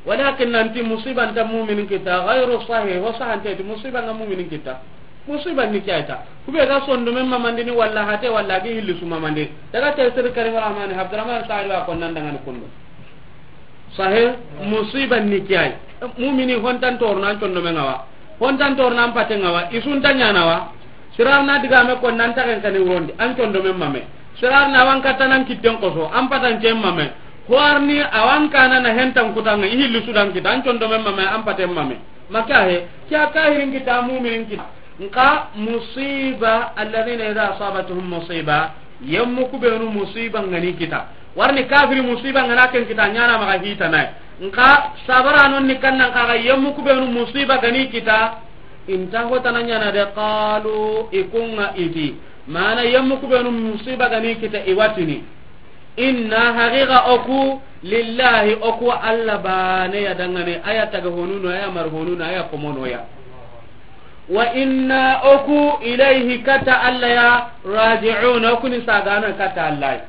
Walakin nanti musiba nta muminin kita, ghayru sahih, ho sahante ti musiba ŋa muminin kita. Musiba ni ke ya ta. Kube ga sondomen mamandini walla hate walla gi hilli su mamandi. Daga Tafsir Karim Rahmani, Abdurrahman Sa'id wa ko nan dangani kundu. Sahe, musiba ni ke ya. Mumini hontan torna an condomen ŋa wa. Hontan torna an paten ŋa wa. I su nta ɲaana wa. Sirar na digame ko nan taxen kani wurondi. An condomen mame. Sirar na wan katta nan kitten koso. An patancen mame. Hoarni awan kana na hentan kutanga. I hilli su dan kita. An condomen mame. An paten mame. Maka he. Ke ya kahirin kita, muminin kita. Nka musiba, alladhina idha asabatuhum musiba, yemmu kubenu musiba ŋa ni kita. Warni kafiri musiba ŋa na ken kita, ɲaana maxa hita nay. Nka sabara non ni kannan kaga, yemmu kubenu musiba ga ni kita, i nta hotana ɲaana de, qalu, i ku ŋa i ti. Mana yemmu kubenu musiba ga ni kita, i wa tini. Inna, haqiqa o ku, lillahi, o ku Alla bane ya dangane, a ya taga honunu, a ya mar honunu, a ya komono ya. Wa inna, o ku, ilayhi, katta Alla ya, raji'un, o ku ni sagana katta Alla ya.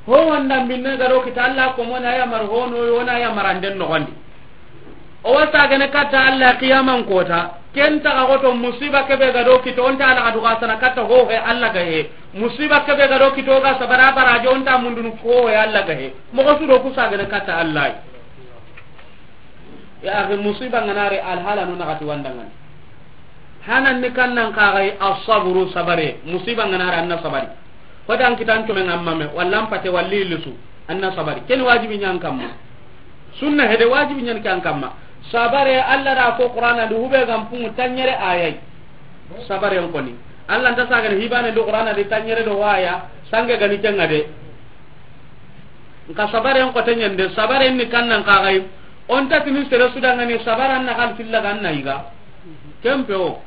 Ho wanda binne ga do kita Alla komona, a ya mar hono, wona ya maranden noxondi. O wa sagene katta Alla qiyaman kota. Ken taga goto musiba kebe ga do kito, o nta Alla ga duga sana katta ho he Alla ga he. Musiba kebe ga do kito ga sabara baraje, o nta mundunu ho he Alla ga he. Moxo su do ku sagene katta Alla. Ya akhi, musiba ŋa na ri, alhala no na gati wandangani. Hanan ni kannan kagai asabru, sabare. Musiba ŋa na ri, an na sabari. Hodan kitan come ŋa mame, walla an pate, walla i hilli su, an na sabari. Ken wajibi ɲa an kamma. Sunna hede wajibi ɲa an kamma. Sabare, Alla da ko Qur'ana di, hube gam pungu tanɲere ayai. Sabare n koni. Alla nta sagane hibane do Qur'ana di tanɲere do waya, sange gani kenga de. Nka sabare n kote ɲande, sabare ni kannan kagai. O nta tini sere su dangani sabara na kan tilla gan na yiga. Kempe o.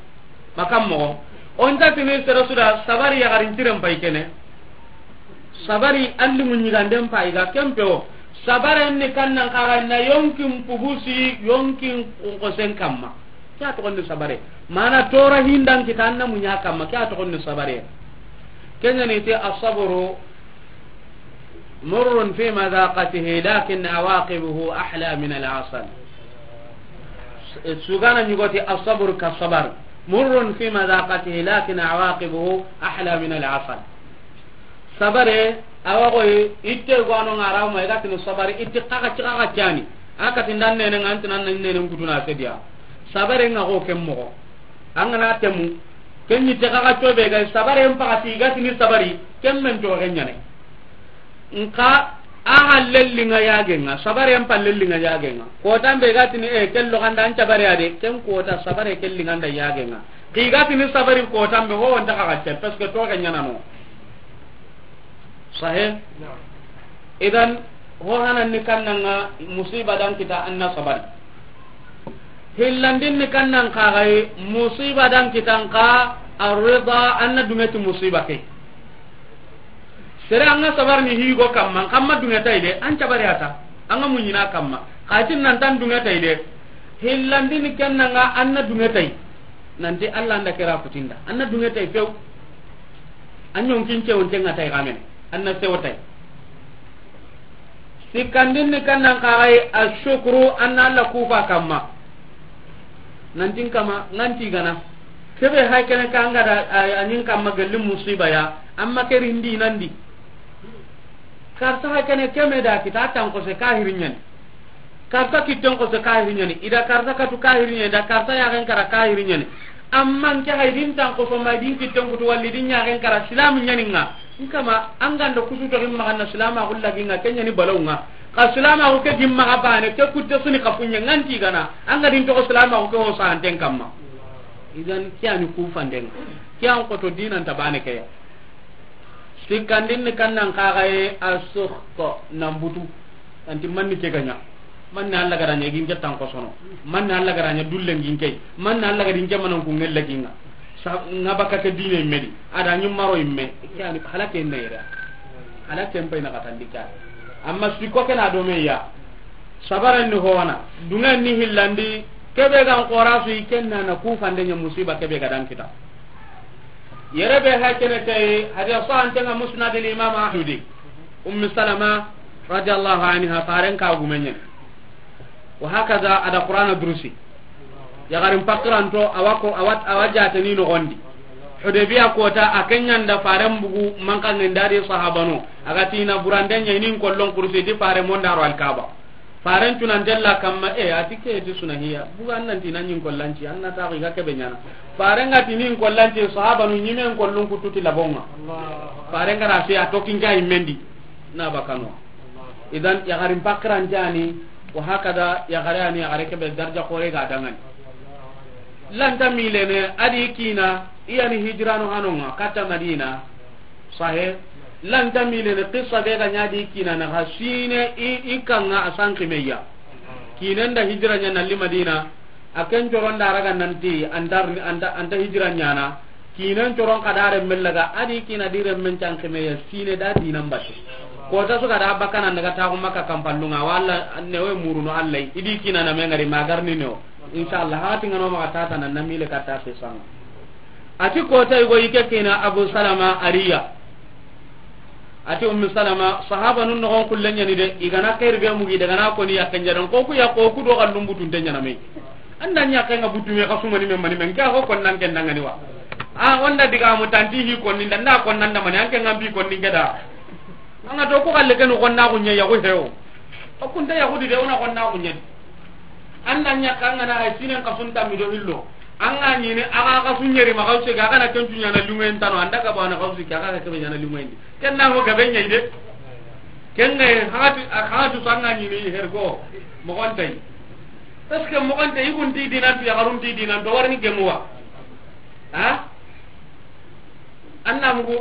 Makam moxo. O nta tini sere su da sabari yagarin tiren pay kene. Sabari alli mu ɲiganden pay ga kempe o. Sabare ni kannan kaga na yonkin pugusi, yonkin kosen kamma. Ke ya toxondi sabare. Mana tora hindan kita an na muɲa kamma. Ke ya toxondi sabare. Kenya ni te asabru. مرٌّ في مذاقته لكن عواقبه أحلى من العسل. Sugana ɲugoti الصبر كالصبر. مرٌّ في مذاقته لكن عواقبه أحلى من العسل. Sabare, awa goy, itte gwano ŋa ra ma, i ga tini sabari, itte kaga ci kaga cani. A kati ndan nene ŋa, an ti nan nene kutuna sediya. Sabare ŋa go ken moxo. An ga na temu, ken ni te kaga cobe ga, sabare n paga ti, i ga tini sabari, ken men to ken ɲane. Nka a ha lelli ŋa yage ŋa, sabare n pa lelli ŋa yage ŋa. Kotan be ga tini, e, ken lo ganda an sabare ade, ken kota sabare ken li ŋa nda yage ŋa. Ki ga tini sabari kotan be, ho wonta kaga ce, parce que to ken ɲana no. Sahe? Naam. Idan, ho hanan ni kannan ŋa musiba dan kita an na sabari. Hillandin ni kannan kagai musiba dan kitan ka arrida an na dungeti musiba ke. Sere an ga sabar ni higo kamma, kamma dunge tay de, an cabari ata, an ga muɲina kamma. Katin nan tan dunge tay de, hillandin ni kennan ŋa an na dunge tay. Nanti Alla nda kera kutinda, an na dunge tay few. An ɲonkin cewon tenga tay gamen, an na sewo tay. Sikkandin ni kannan kagai ashukru, an na Alla kufa kamma. Nantin kama, nganti gana. Kebe hay kene kanga da, a, a ɲin kamma gelli musiba ya, amma ke rindi nandi. Karta hay kene keme da kita tan ko se kahiri ɲani. Karta kitten ko se kahiri ɲani. Ida karta katu kahiri ɲani, da karta ya gen kara kahiri ɲani. Amma nke hay din tan ko so ma din kitten kutu walli din ya gen kara silamu ɲani nga. Nkama, an ganda kusu to gimma ganna silamaxu laginga, ke ɲani balawunga. Xa silamaxu ke gimma ga bane, ke kutte suni xa fuɲe nganti gana. An ga din toxo silamaxu ke ho santen kamma. Idan ke yani kufandenga. Ke an xoto dinanta bane ke ya. Sikkandin ni kannan kaxaye a suxto nan butu. Anti manni ke gaɲa. Manni Alla garaɲa gin ke tan kosono. Manni Alla garaɲa dullen gin ke. Manni Alla gadin ke manan ku ngella ginga. Sa nga baka ke dine medi. Ada nyum maro imme. Ke ani halake ne yere. Halake mpai na katandika. Amma siko ke na do me ya. Sabaran ni howana. Dungan ni hillandi. Kebe gan xora su i ken na na ku fande ɲa musiba kebe ga dan kita. Yere be ha kene tay, hadiya sahante ŋa Musnad al Imam Ahmad. Ummi Salama radiyallahu anha, faren ka gumenye. Wa hakaza a da Qur'ana durusi. Yaxarin pakiranto, awa ko, awa, awa jateni noxondi. Hudaybiya kota, a ken ɲa nda faren bugu, manka ŋenda di sahabano. A ga ti na burande ɲa i ni n kollon kursi, ti fare mo nda ro Alkaba. Faren tuna ndella kamma, e, a ti ke ti suna hiya. Buga an nan ti na ɲi n kollanci, an na ta ga kebe ɲana. Faren ga ti ni n kollanci, sahabanu ɲi me n kollun kutu ti labonga. Faren ga ra se a to kinga i mendi. Na bakano. Idan, yaxarin pakiran jani, wa hakada, yaxare ani, yaxare kebe darja xore ga dangani. Lanta milene, a di kina, i yani hijrano hanonga, kata Madina, sahe, lanta milene, qissa be ga ɲa di kina, na xa sine, i, i kanga a sanki meya. Kinen da hijra ɲa nalli Madina, a ken coron da raga nanti, anta, anta, anta hijra ɲana, Kinen coron ka da renmen laga, a di kina di renmen cankemeya sine da dinan batte. Kota su ga da bakana daga taxu Makka kampallunga, walla newe muruno Allah, i di kina na me ngari magarni newo. Inshallah, hati ngano maxa tata na namile katta ke sanga. A ti kota i go i ke kina Abu Salama a ri ya. A ti Ummi Salama, sahaba nun noxon kullen ɲani de, i gana xeeri be mugi daga na koni yakken jadan, ko ku ya ko ku do xallun butun te ɲana me. An da ɲa kenga butu me xasu mani men mani men, ke a xo konnan ken dangani wa. A, o nda diga mu tanti hi konni nda, nda konnan da mani, an ke ngambi konni ke da. An ga to ku xalle kenu konna ku ɲe ya ku hewo. O kunta ya ku di de, o na konna ku ɲe. An da ɲa kanga na hay sinen xasun tammi do hillo. An ga ɲini, a ga xasu ɲeri ma xasu ke, a ga na kencu ɲana lungen tano, an da ga bana xasu ke, a ga kebe ɲana lungen di. Ken na ho gabe ɲa i de. Ken ga hatu, a hatu sanga ɲini her ko, moxon tay. Parce que moxon tay, i kun ti dinan tu, yaxarun ti dinan tu, warini gemuwa. Ha? An na mugu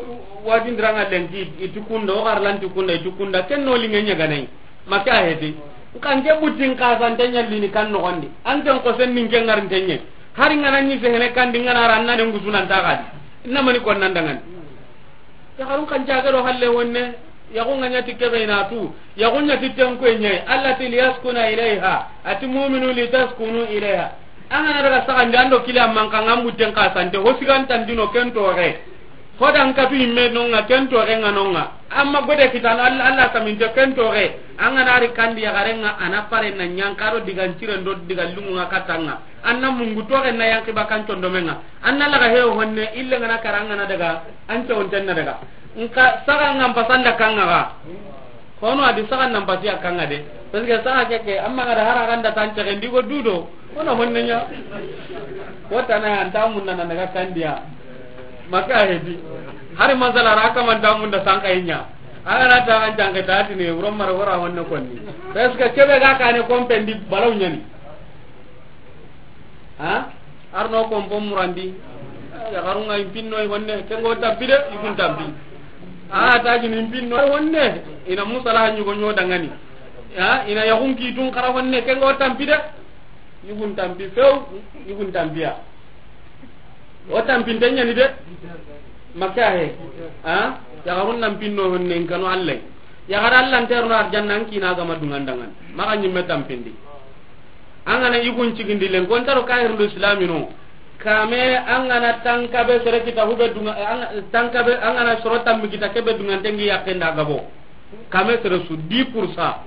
wajindiranga lenki, i ti kunda, o xar lanti kunda, i ti kunda, ken no linge ɲa ganai. Maka heti. Nkan ke butin ka san tanya lini kan no gondi. An ken ko sen nin ke ngar tenye. Hari ngana ni se hene kan di ngana ran na ne ngusunan ta gadi. Inna mani kon nan dangan. Yaxarun kan jaga do halle wonne. Yaxu nga ɲa ti kebe i na tu. Yaxu ɲa ti ten ko ɲe. Allati liyaskuna ilayha. Ati mu'minu litaskunu ilayha. An ga na daga saxandi an do kili amman kan an butten ka sante. Ho sigan tandino ken toxe. Ho dan katu imme nonga ken toxe nga nonga. Amma gode kitana Allah, Allah saminte ken toxe. An ga na ri kandi yaxare nga a na pare na ɲankaro digan ciren do digan lungu nga katanga. An na mungu toxe na yanki bakan condomenga. An na laga hewo honne ille nga na kara nga na daga. An ce wonten na daga. Nka saga nga mpasanda kanga ga. Kono a di saga nan pasi a kanga de. Parce que saga ke ke, amma ngada hara ganda tan tege ndigo dudo. Wona honne ɲa. Wota na an ta munna na daga kandiya. Maka hedi. Hari masala ra ka man ta munna sanka ɲa. Aga na ta an jange ta tini, wuro mara wora honne konni. Parce que kebe ga kane kompendi balaw ɲani. Ha? Arno ko mbo murandi. Yaxarun ŋa i n pinno i honne, ken go tampi de, i kun tampi. A ta jini i n pinno i honne. I na musala hanyu go ɲo dangani. Ha? I na yaxun ki tun xara honne, ken go tampi de. I kun tampi few, i kun tampiya. O tampinte ɲani de. Maka he. Ha? Yaxarun nan pinno honne, n kanu Allah. Yaxara Allah nterno arjanna, an kina gama dungan dangan. Maka ɲimme tampindi. An gana yugun cigindi len, kontaro kahirundu islamino. Kame an gana tankabe sere kita hube dunga, an, tankabe, an gana soro tammi kita kebe dunganten gi yakkenda gabo. Kame sere su dix pour cent.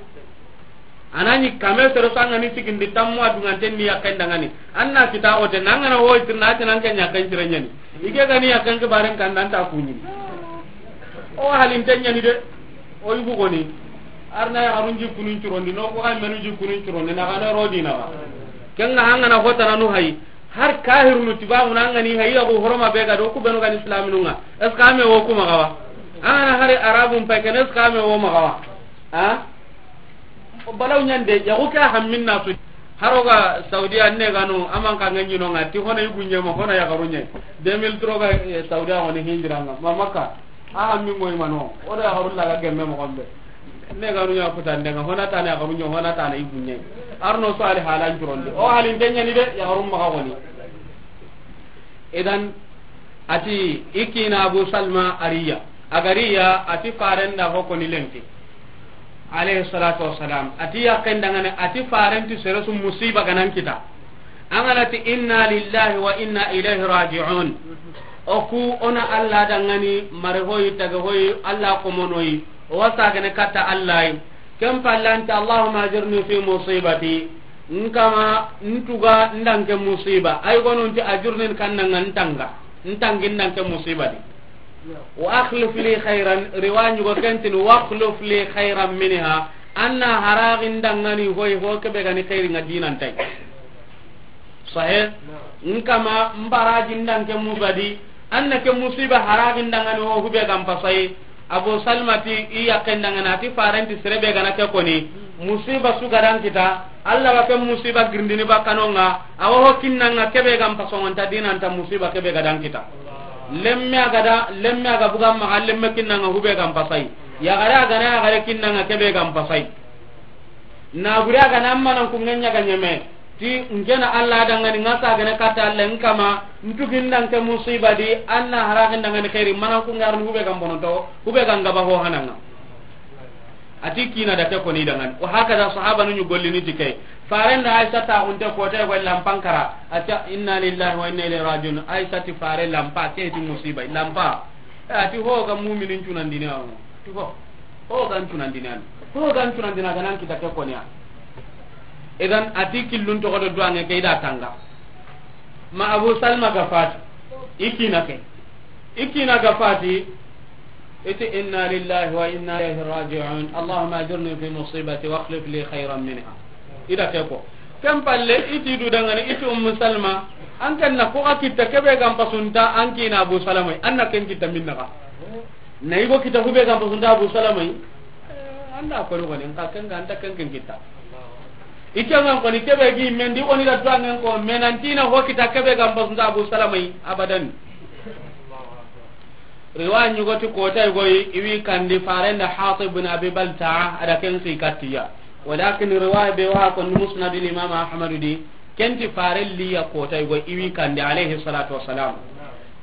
Anani kame sere su an gani cigindi tammu a dunganten ni yakkenda ngani. An na kita ote, an gana ho itirna ati nan ken yakken cire ɲani. Ike gani yakken kibaren kan nan ta kuɲini. O halinte ɲani de. O yugu goni. Arna yaxarun jikkunun curondi, no ko xa menu jikkunun curondi, na xa na rodi na xa. Ken ga hangana hotana nu hayi. Har kahirunu tibabu na ngani hayi, yaxu horoma be ga do ku benu gani islaminun ŋa. Est-ce que ame wo kuma gawa? Angana hari arabun pay ken, est-ce que ame wo ma gawa? Ha? Balaw ɲande, yaxu ke hammin na su. Haro ga Saudiya ne gano, aman ka nganyi no ŋa, ti hona yugu ɲe ma, hona yaxaru ɲe. Deux mille trois ga, eh, Saudiya woni hinjiranga. Ma Makka. A hammi moy mano, o da yaxarun laga gemme moxon be. Ne ganu ɲa futande ŋa, hona tana yaxarun ɲa, hona tana yugu ɲa. Arno so ali halan curondi. O halinte ɲani de, yaxarun maxa goni. Idan, ati, i kina Abu Salma a ri ya. A ga ri ya, ati faren da ho koni lenki. Alayhi salatu wassalam. Ati yakken dangane, ati faren ti sere su musiba ganan kita. An ga na ti inna lillahi wa inna ilayhi raji'un. O ku o na Allah dangani, mare hoyi, tage hoyi, Allah komonoyi. O wa sagene katta Allah yi. Ken palle an ti, Allahumma ajirni fi musibati. N kama, n tuga n da n ke musiba. Ay gonun ti ajurni, n kanna nga n tanga. N tangi n da n ke musiba di. Wa akhlif li khairan, riwa ɲugo ken ti ni, wa akhlif li khairan minha. An na haraxin dangani hoyi, ho kebe ga ni xeeri nga dinan tay. Sahe. N kama, n baraji n da n ke musiba di. An na ke musiba haraxin dangani ho hube ga n pasayi. Abu Salma ti i yaqqen dangana ti faren ti sere be ga na ke koni, musiba su ga da n kita, Allah wa ke musiba girindini bakkano nga, a wa ho kinna nga kebe ga n pasongonta dinanta musiba kebe ga da n kita. Lemme a ga da, lemme a ga buga maxa, lemme kinna nga hube ga n pasayi. Yaxare a ga na yaxare kinna nga kebe ga n pasayi. Na buri a ga na manan ku ŋa ɲa ga ɲeme. Ti n ke na Allah dangani, n ga sagene katta Allah, n kama, n tugi n da n ke musiba di, an na haraxin dangani xeeri, manan ku ŋa ri ni hube ga n bononto, hube ga n gaba ho hananga. A ti kina da ke koni dangani. Wa hakaza sahabanu ɲi gollini ti ke. Faren da Aisha ta xunte kote go lampan kara. A ti inna lillahi wa inna ilayhi raji'un. Aisha ti fare lampa, ke ti musiba. Lampa. Eh, a ti ho ga muminin cunandini awo. Ti ho. Ho ga n cunandini an. Ho ga n cunandini a ga na n kita ke koni ya. Idan a ti killun toxo do duwange ke i da tanga. Ma Abu Salma ga fati. I kina ke. I kina ga fati. I ti inna lillahi wa inna ilayhi raji'un. Allahumma ajirni fi musibati wa akhlif li khairan minha. I da ke ko. Ken palle i ti du dangani, i ti Ummu Salma. An ken na ko ga kitta kebe ga n pasunta an kina Abu Salama. An na ken kitta minna ga. Na i go kitta hube ga n pasunta Abu Salama. Eh, an da ko ni ko ni, n ka ken ga an ta ken ken kitta. I ke ngan ko ni kebe gi mendi, o ni da duwangen ko, menantina ho kitta kebe ga n pasunta Abu Salama. Abadan. Riwaya ɲugo ti kota i go yi, i wi kandi faren da Hatib bin Abi Balta'a, a da ken xi kattiya. Walakin riwaya be wa ko Musnadul Imam Ahmad di, ken ti faren liya kota i go yi, i wi kandi alayhi salatu wassalam.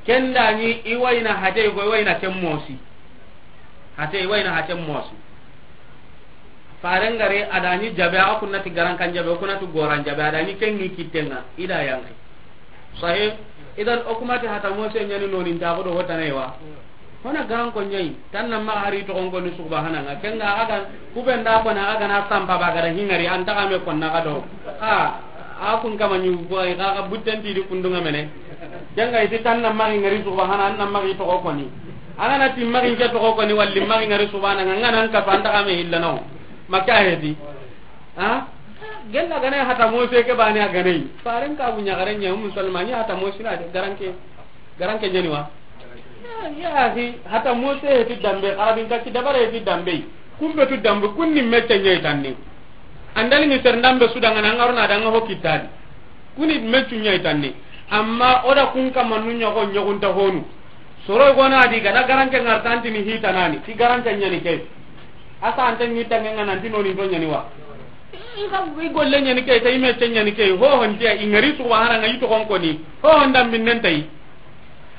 Ken da ni i wayna hate i go yi, i wayna ken mosi. Hate i wayna hate mosi. Faren gare a da ni jabe, a kunna ti garankan jabe, o kunna ti goran jabe, a da ni ken ni kittenga, i da yanki. Sahih. Idan o kuma ti hata mose ɲani noni nta ko do hotane wa. Hona gan ko ɲai, tan na ma hari to gon ko ni subhananga. Ken ga aga ku be nda ko na aga na sampa ba ga da hingari an ta ga me ko na ga do. A, a kun kama ni ko ay ga ga butten ti di kundunga mene. Ken ga iti tan na ma hingari subhana an na ma to ko ni. Ana na ti ma ke to ko ni walli ma hingari subhananga ngana an ka fa an ta ga me illa no. Maka hedi. Ha? Gella gane hata mose ke bani a gane. Faren ka bunya garen ya Ummu Salma ni hata mose na de garanke. Garanke ɲani wa? Ya, ya hi hata mose he ti dambe, arabin ka ti dabare he ti dambe. Kumbe tu dambe, kunni mecce ɲai tanni. Andali ni ser ndambe su danga na ngaruna danga ho kitadi. Kuni meccu ɲai tanni. Amma o da kun kama nu ɲogo ɲogunta honu. Soro gona di gada garanke ngartanti ni hita nani. Ti garanke ɲani ke. Asa ante ni tange ngana ti noni to ɲani wa. I ga i golle ɲani ke, ta i mecce ɲani ke. Ho honti i ngari subhana nga i to kon koni. Ho honda minnen tai.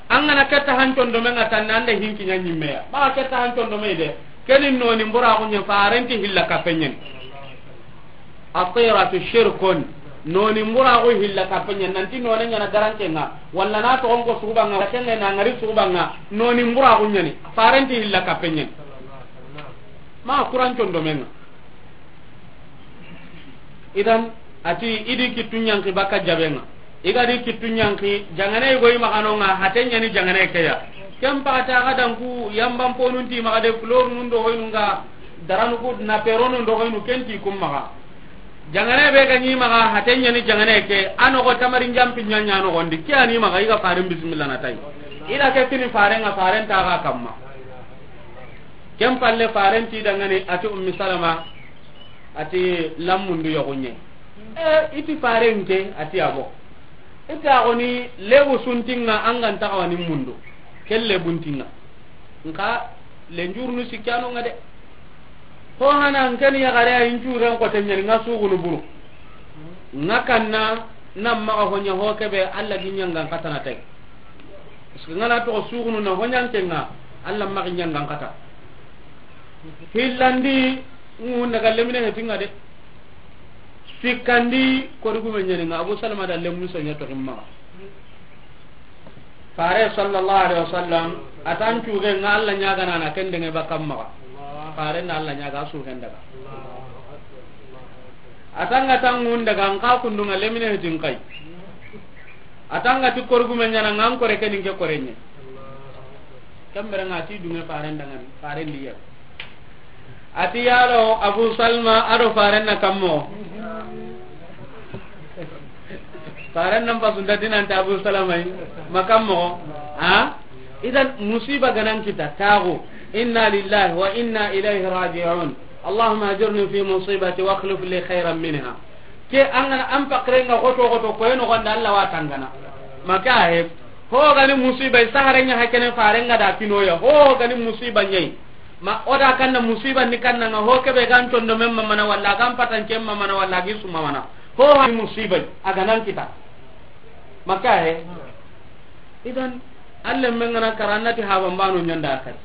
An gana ketta han condomen ŋa tanne, an da hinki ɲa ɲimme ya. Maxa ketta han condome de. Keni noni mburaxu ɲa, farenti hilla kappe ɲeni. Atiratu shirkun. Noni mburaxu hilla kappe ɲeni. Nanti none ɲana garanke ŋa. Walla na toxon ko suxuba ŋa, walla kenge na ngari suxuba ŋa. Noni mburaxu ɲeni. Farenti hilla kappe ɲeni. Maxa kuran condomen ŋa. Idan, ati, i di kittu ɲanki baka jabe ŋa. I ga di kittu ɲanki, jangane go i maxa no ŋa, hate ɲani jangane ke ya. Ken paxata ga danku, yamban ponun ti maxa de, fleur nun do hoynu ŋa, daranu ku na pero nun do hoynu ken ti kum maxa. Jangane be ga ni maxa, hate ɲani jangane ke, a noxo tamari njampi ɲa ɲa noxondi, ke ani maxa, i ga faren bismillah na tai. I da ke kini faren ŋa, faren ta ga kamma. Ken palle farenti dangani, ati Ummi Salama, ati lammundu yoxuɲe. E, iti farente, ati abo. Ita xoni lebu suntinga, an ga nta xawani mundu. Ken lebuntinga. Nka lenjurunu sikkano ŋa de. Ho hana nkeni yaxare a incuren xote ɲani ŋa suxunu buru. Ŋa kanna, na maxa ho ɲa ho kebe, Alla gi ɲangan xatana tay. Parce que ŋa na toxo suxunu na ho ɲanke ŋa, Alla maxi ɲangan xata. Hillandi, ŋu naga lemine hetinga de. Sikkandi kori gume ɲani ŋa, Abu Salama da lemnu sanya to himma. Fare sallallahu alaihi wasallam, a tan cuge ŋa Alla ɲaagana na ken denge ba kamma. Fare na Alla ɲaaga su ken daga. A tanga tangun daga an ka kundunga lemine hitin kai. A tanga ti kori gume ɲana ŋa an kore kenin ke kore ɲe. Kambere ŋa ti dunge faren dangani, faren diya. A ti yalo Abu Salma a do faren na kammo. Faren nan pasu nda dinanta Abu Salama yi, ma kammo. Ha? Idan musiba ganan kita tago. Inna lillahi wa inna ilaihi raji'un. Allahumma ajurni fi musibati wa akhlif li khairan minha. Ke an gana an pakrenga goto goto ko eno gonda Alla wa tangana. Maka he. Ho gani musiba i saharenya hakene farenga da kinoya. Ho gani musiba nyai. Ma oda kanna musiba ni kanna nga ho kebe gan tondo men mamana walla gan patan kem mamana walla gi su mamana. Ho ha musiba a ganan kita. Maka he. Idan, Alla men gana kara annati haban bano ɲanda kadi.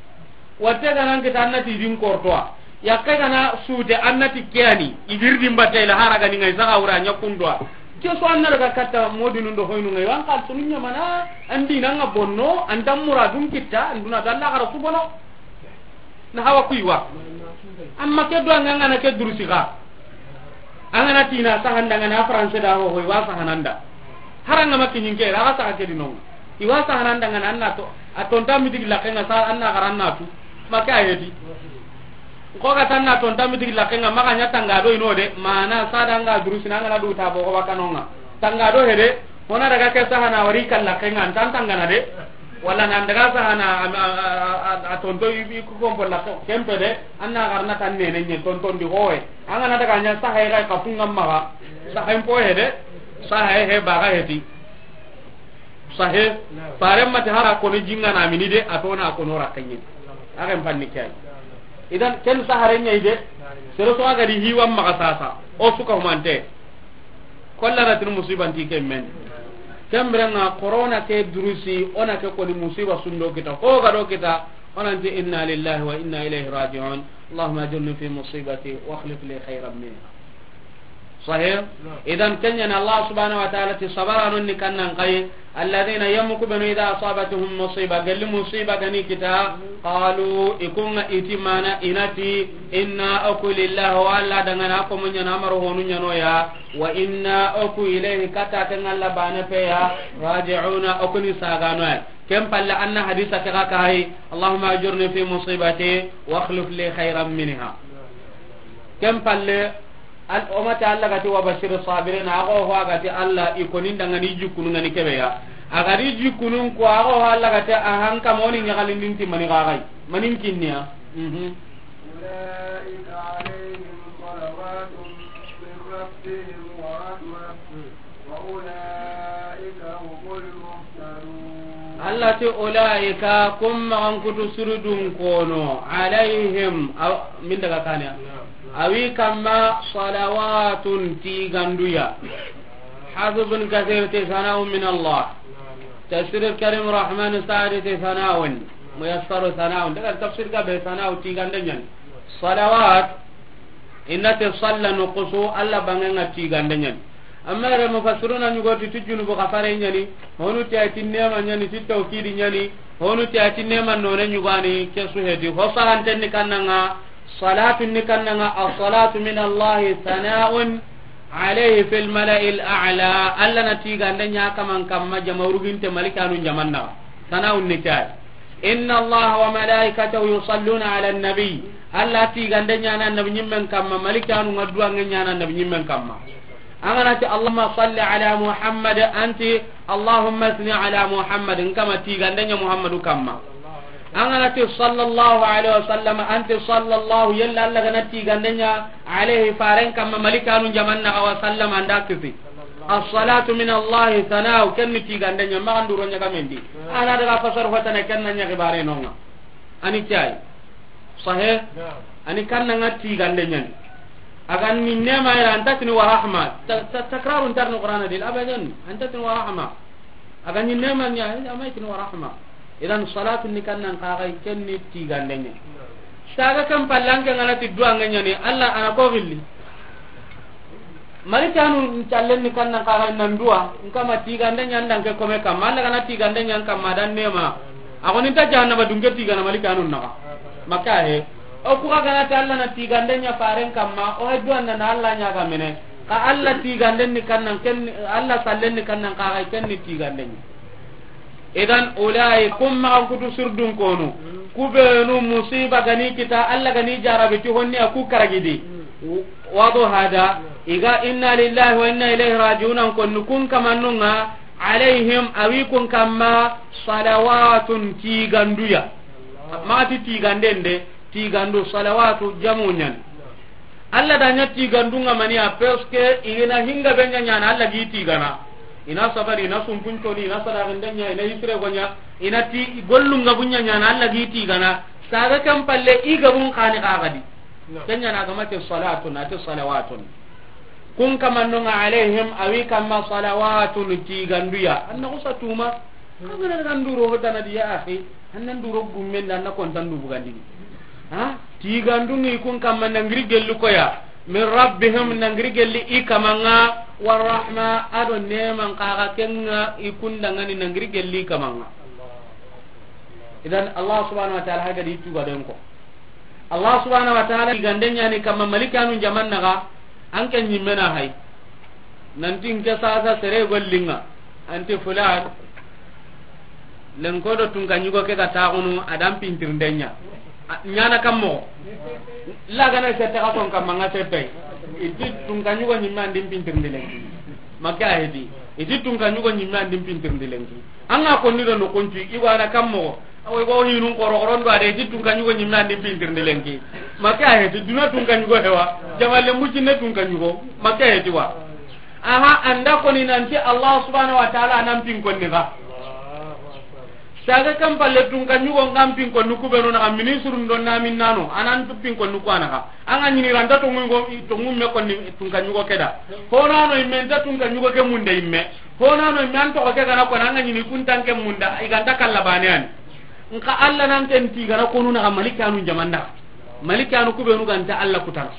Watte gana kita annati din kortoa. Yakke gana sude annati kiyani. Ibir din batela hara gani ngai saga wura ɲa kundwa. Ke so anna daga katta modinu ndo hoynu ngai wan kal sunu ɲamana. Andi nanga bonno, andam muradun kita, anduna dalla gara subono. Na hawa kuiwa. Amma ke do anga ngana ke durusi ga. Angana tina sahanda ngana français da ho ho wa sahananda. Haranga makinin ke raga saha ke dinon. Iwa sahananda ngana anna to. A tonta mi digi lakenga sa anna garanna tu. Maka ayeti. Ko ga tanna tonta mi digi lakenga maka nya tanga do ino de. Mana sada nga durusi na ngana du ta bo ko wakanonga. Tanga do hede. Hona daga ke sahana wari kalla kenga an tan tangana de. Wala nan daga sahana a, a, a, a, a tonto i, i ku kombo la ko kempe de. Anna garna tan nene nye tonton di hoye. Angana daga nya sahaye ga ka funga maga. Sahaye mpo he de. Sahaye he baga heti. Sahe. Fare mate hara kono jinga na mini de atona kono rakenye. Agen panni kay. Idan ken sahare nyai de. Sero so aga di hiwa maga sasa. O suka humante. Kolla na tinu musiban ti ke men. Kembre nga corona ke durusi, ona ke koni musiba sundo kita, ho ga do kita, ona nti inna lillahi wa inna ilaihi raji'un. Allahumma ajurni fi musibati wa akhlif li khairan minha. Sahih? Idan kenya na Allah subhanahu wa ta'ala ti sabara non ni kannan kai, alladhina yamku banu idha asabatuhum musiba, galli musiba gani kita, qalu, ikunga itimana inati, inna aku lillahi wa alla dangana ko munya na maru honu nyano ya, wa inna oku ilayhi kata ke ngalla bane peya, raji'una oku ni sagano ya. Ken palle anna hadisa ke ga kai, Allahumma ajurni fi musibati wa akhlif li khairan minha. Ken palle al umata Allah gati wa bashir sabirin, ago ho gati Allah ikonin dangani jukunu ngani kebeya. Agari jukunun ko ago ho Allah gati ahan kamoni nyagalindin ti mani gagai. Manin kinniya. Mhm. أولئك عليهم صلوات من ربهم ورحمة وأولئك هم المهتدون. Allah ti ulaika, kum maxan kutu surudun kono, alayhim, aw, min daga kaniya. Awi kamma salawatun tiganduya. Hafiz bin Kathir ti sana'un min Allah. Tafsir Karim Rahman Saadi ti sana'un. Muyassaru sana'un. Daga tafsir gabe sana'u tigande ɲani. Salawat, innati salla nuqusu, Allah bangenga tigande ɲani. Amma yere mufassiruna ɲugoti ti junubu kafare ɲani, honu ti ayti nema ɲani, ti tawkidi ɲani, honu ti ayti nema none ɲugani, ke su hedi. Ho sahantenni kannanga, salatu ni kannanga, as-salatu min Allahi sana'un alayhi fil mala'il a'la. Allah na tigande ɲa kaman kamma jama uruginte malikanu jamanna. Sana'un ni kay. Inna Allaha wa malaikatahu yusalluna ala nabi. Allah tigande ɲana nabi ɲimmen kamma, malikanu nga duwange ɲana nabi ɲimmen kamma. Angana ti Allahumma salli ala Muhammad, anti Allahumma asni ala Muhammad, nkama tigande ɲa Muhammadu kamma. Angana ti sallallahu alaihi wasallam, anti sallallahu, yalla Allah gana tigande ɲa alaihi faren kamma, malikanu jamanna wa sallam anda kisi. As-salatu min Allah, sana'u, kenni tigande ɲa, maxanduro ɲaga mendi. Ana daga fasar hotana kenna ɲa gibare nonga. Ani cay. Sahe? Ani kanna nga tigande ɲani. Aga ni nema ira antatini wa rahma. Ta-, ta-, takrarun tarni Qur'ana dil abadan. Antatini wa rahma. Aga ni nema ɲa, ama itini wa rahma. Idan salatu ni kannan kaga kenni tigande ɲa. Saga kan pallanke ngana ti duwange ɲani, Allah ana ko gilli. Malikanu ncallen ni kannan kaga nan duwa, nkama tigande ɲa nda nke kome kamma, Alla gana tigande ɲa nkamma dan nema. A goni nta jahannaba dunke tigana malikanu naga. Maka he. O kuga gana ta Alla na tigande ɲa faren kamma, o hajju anna na Alla ɲa ga mene. Ka Alla tigande ni kannan ken, Alla sallen ni kannan kaga ken ni tigande ɲa. Idan ulai kum magan kutu surdun konu. Kubenu musiba gani kita, Alla gani jarabe ti honni a ku karagidi. Wado hada, iga inna lillahi wa inna ilaihi raji'un an konni kun kamannunga, alaihim awi kun kamma, salawatun tiganduya. Mati tigandende, tigandu, salawatu jamu ɲan. Alla da ɲa tigandunga maniya, parce que ina hinga be ɲa ɲana Alla gi tigana. Ina sabari, ina sumpunconi, ina sadaxindenya, ina hisire gonya, ina ti gollunga bunya ɲana Alla gi tigana. Saga kan palle i gabun kani kagadi. Kenya na gamate salatun, ate salawatun. Kun kamannonga alaihim, awi kamma salawatun tiganduya. Anna kusa tuma. Kagana daga nduro hotana di ya akhi. Annan duro gummen da na kontan du bugandini. Ha? Tigandungi kun kamma nangiri gelli koya. Min rabbihim nangiri gelli i kamanga. Warahma ado neman kaga kenga i kundangani nangiri gelli i kamanga. Idan Allah subhanahu wa ta'ala haga di tuga den ko. Allah subhanahu wa ta'ala tigande ɲani kamma malikanu jaman naga, an ke ɲimmena hay. Nanti nke sasa sere gollinga, anti fulan, lenko do tunka ɲugo ke ga taxunu, adan pintirnde ɲa. A, ɲana kammo. Lagana sette xa son kamma nga settay. Iti tunka ɲugo ɲimme andin pintirndi lenki. Makke a heti. Iti tunka ɲugo ɲimme andin pintirndi lenki. An ga konni do noxon cu, i go a da kammo. Awo i go hinun koro koron do a de, ti tunka ɲugo ɲimme andin pintirndi lenki. Makke a heti, duna tunka ɲugo hewa. Jamalle mucinne tunka ɲugo. Makke a heti wa. Aha, anda koni nanti Allah subhanahu wa ta'ala nan pin konni ga. Saga kan palle tunka ɲugo ngan pin konni kubenu na ministre ndo na min nano, anan tu pin konni ko anaka. Anga ɲini ranta to ngungo, to ngumme konni tunka ɲugo keda. Honano imme nta tunka ɲugo ke munde imme. Honano imme an toxo ke gana kona anga ɲini kuntan ke munda, i ganta kalla bane ani. Nka Allah nan ken ti gana konu na malikanu jamanda. Malikanu kubenu ganta Allah kutana.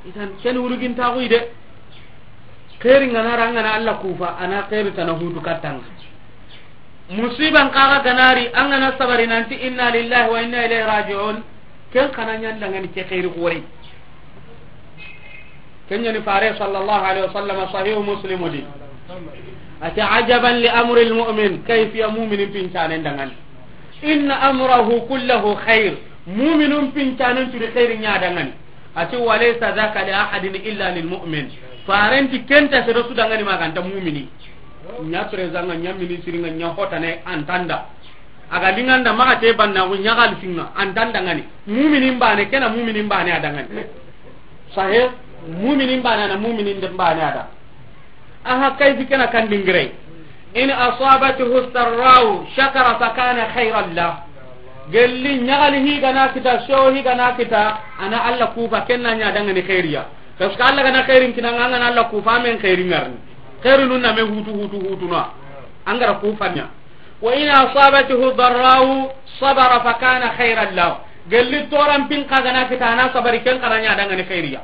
Idan ken urugin taxu ide. Xeeri ngana ra ngana Allah kufa, ana xeeri tana hutu kattanga. Musiban kaga ganari, an gana sabari nanti inna lillahi wa inna ilaihi raji'un. Ken kana ɲan dangani ke xeeri xore. Ken ɲani fare sallallahu alaihi wasallam, sahihu Muslim di. Ati ajaban li amri almu'min, kayfiya mu'minin pincanen dangani. Inna amrahu kullahu khair. Mu'minun pincanen turi xeeri ɲa dangani. Ati walaysa dhaka li ahadin illa lil mu'min. Farenti kenta sere su dangani maganta mu'mini. Ɲa président nga, ɲa ministre nga, ɲa hotane antanda. Aga linganda maga te banna ko ɲagal singa antanda ngani. Mu'minin bane kena mu'minin bane adangani. Sahih, mu'minin bane na mu'minin de bane ada. Aha, kayfi kena kan dingirey. In asabathu sarra'u shakara fakana khairan lah. Gelli ɲagali higana kita, so higana kita, ana Allah kufa kenna ɲa dangani khairiya. Parce que Allah gana khairin kinanga, ngana Allah kufa men khairin ngarni. Khairu nun na me hutu, hutu, hutu na. Angara kufa ɲa. Wa in asabathu darra'u sabara fakana khairan lah. Gelli toran pin kagana kita, ana sabari ken kana ɲa dangani khairiya.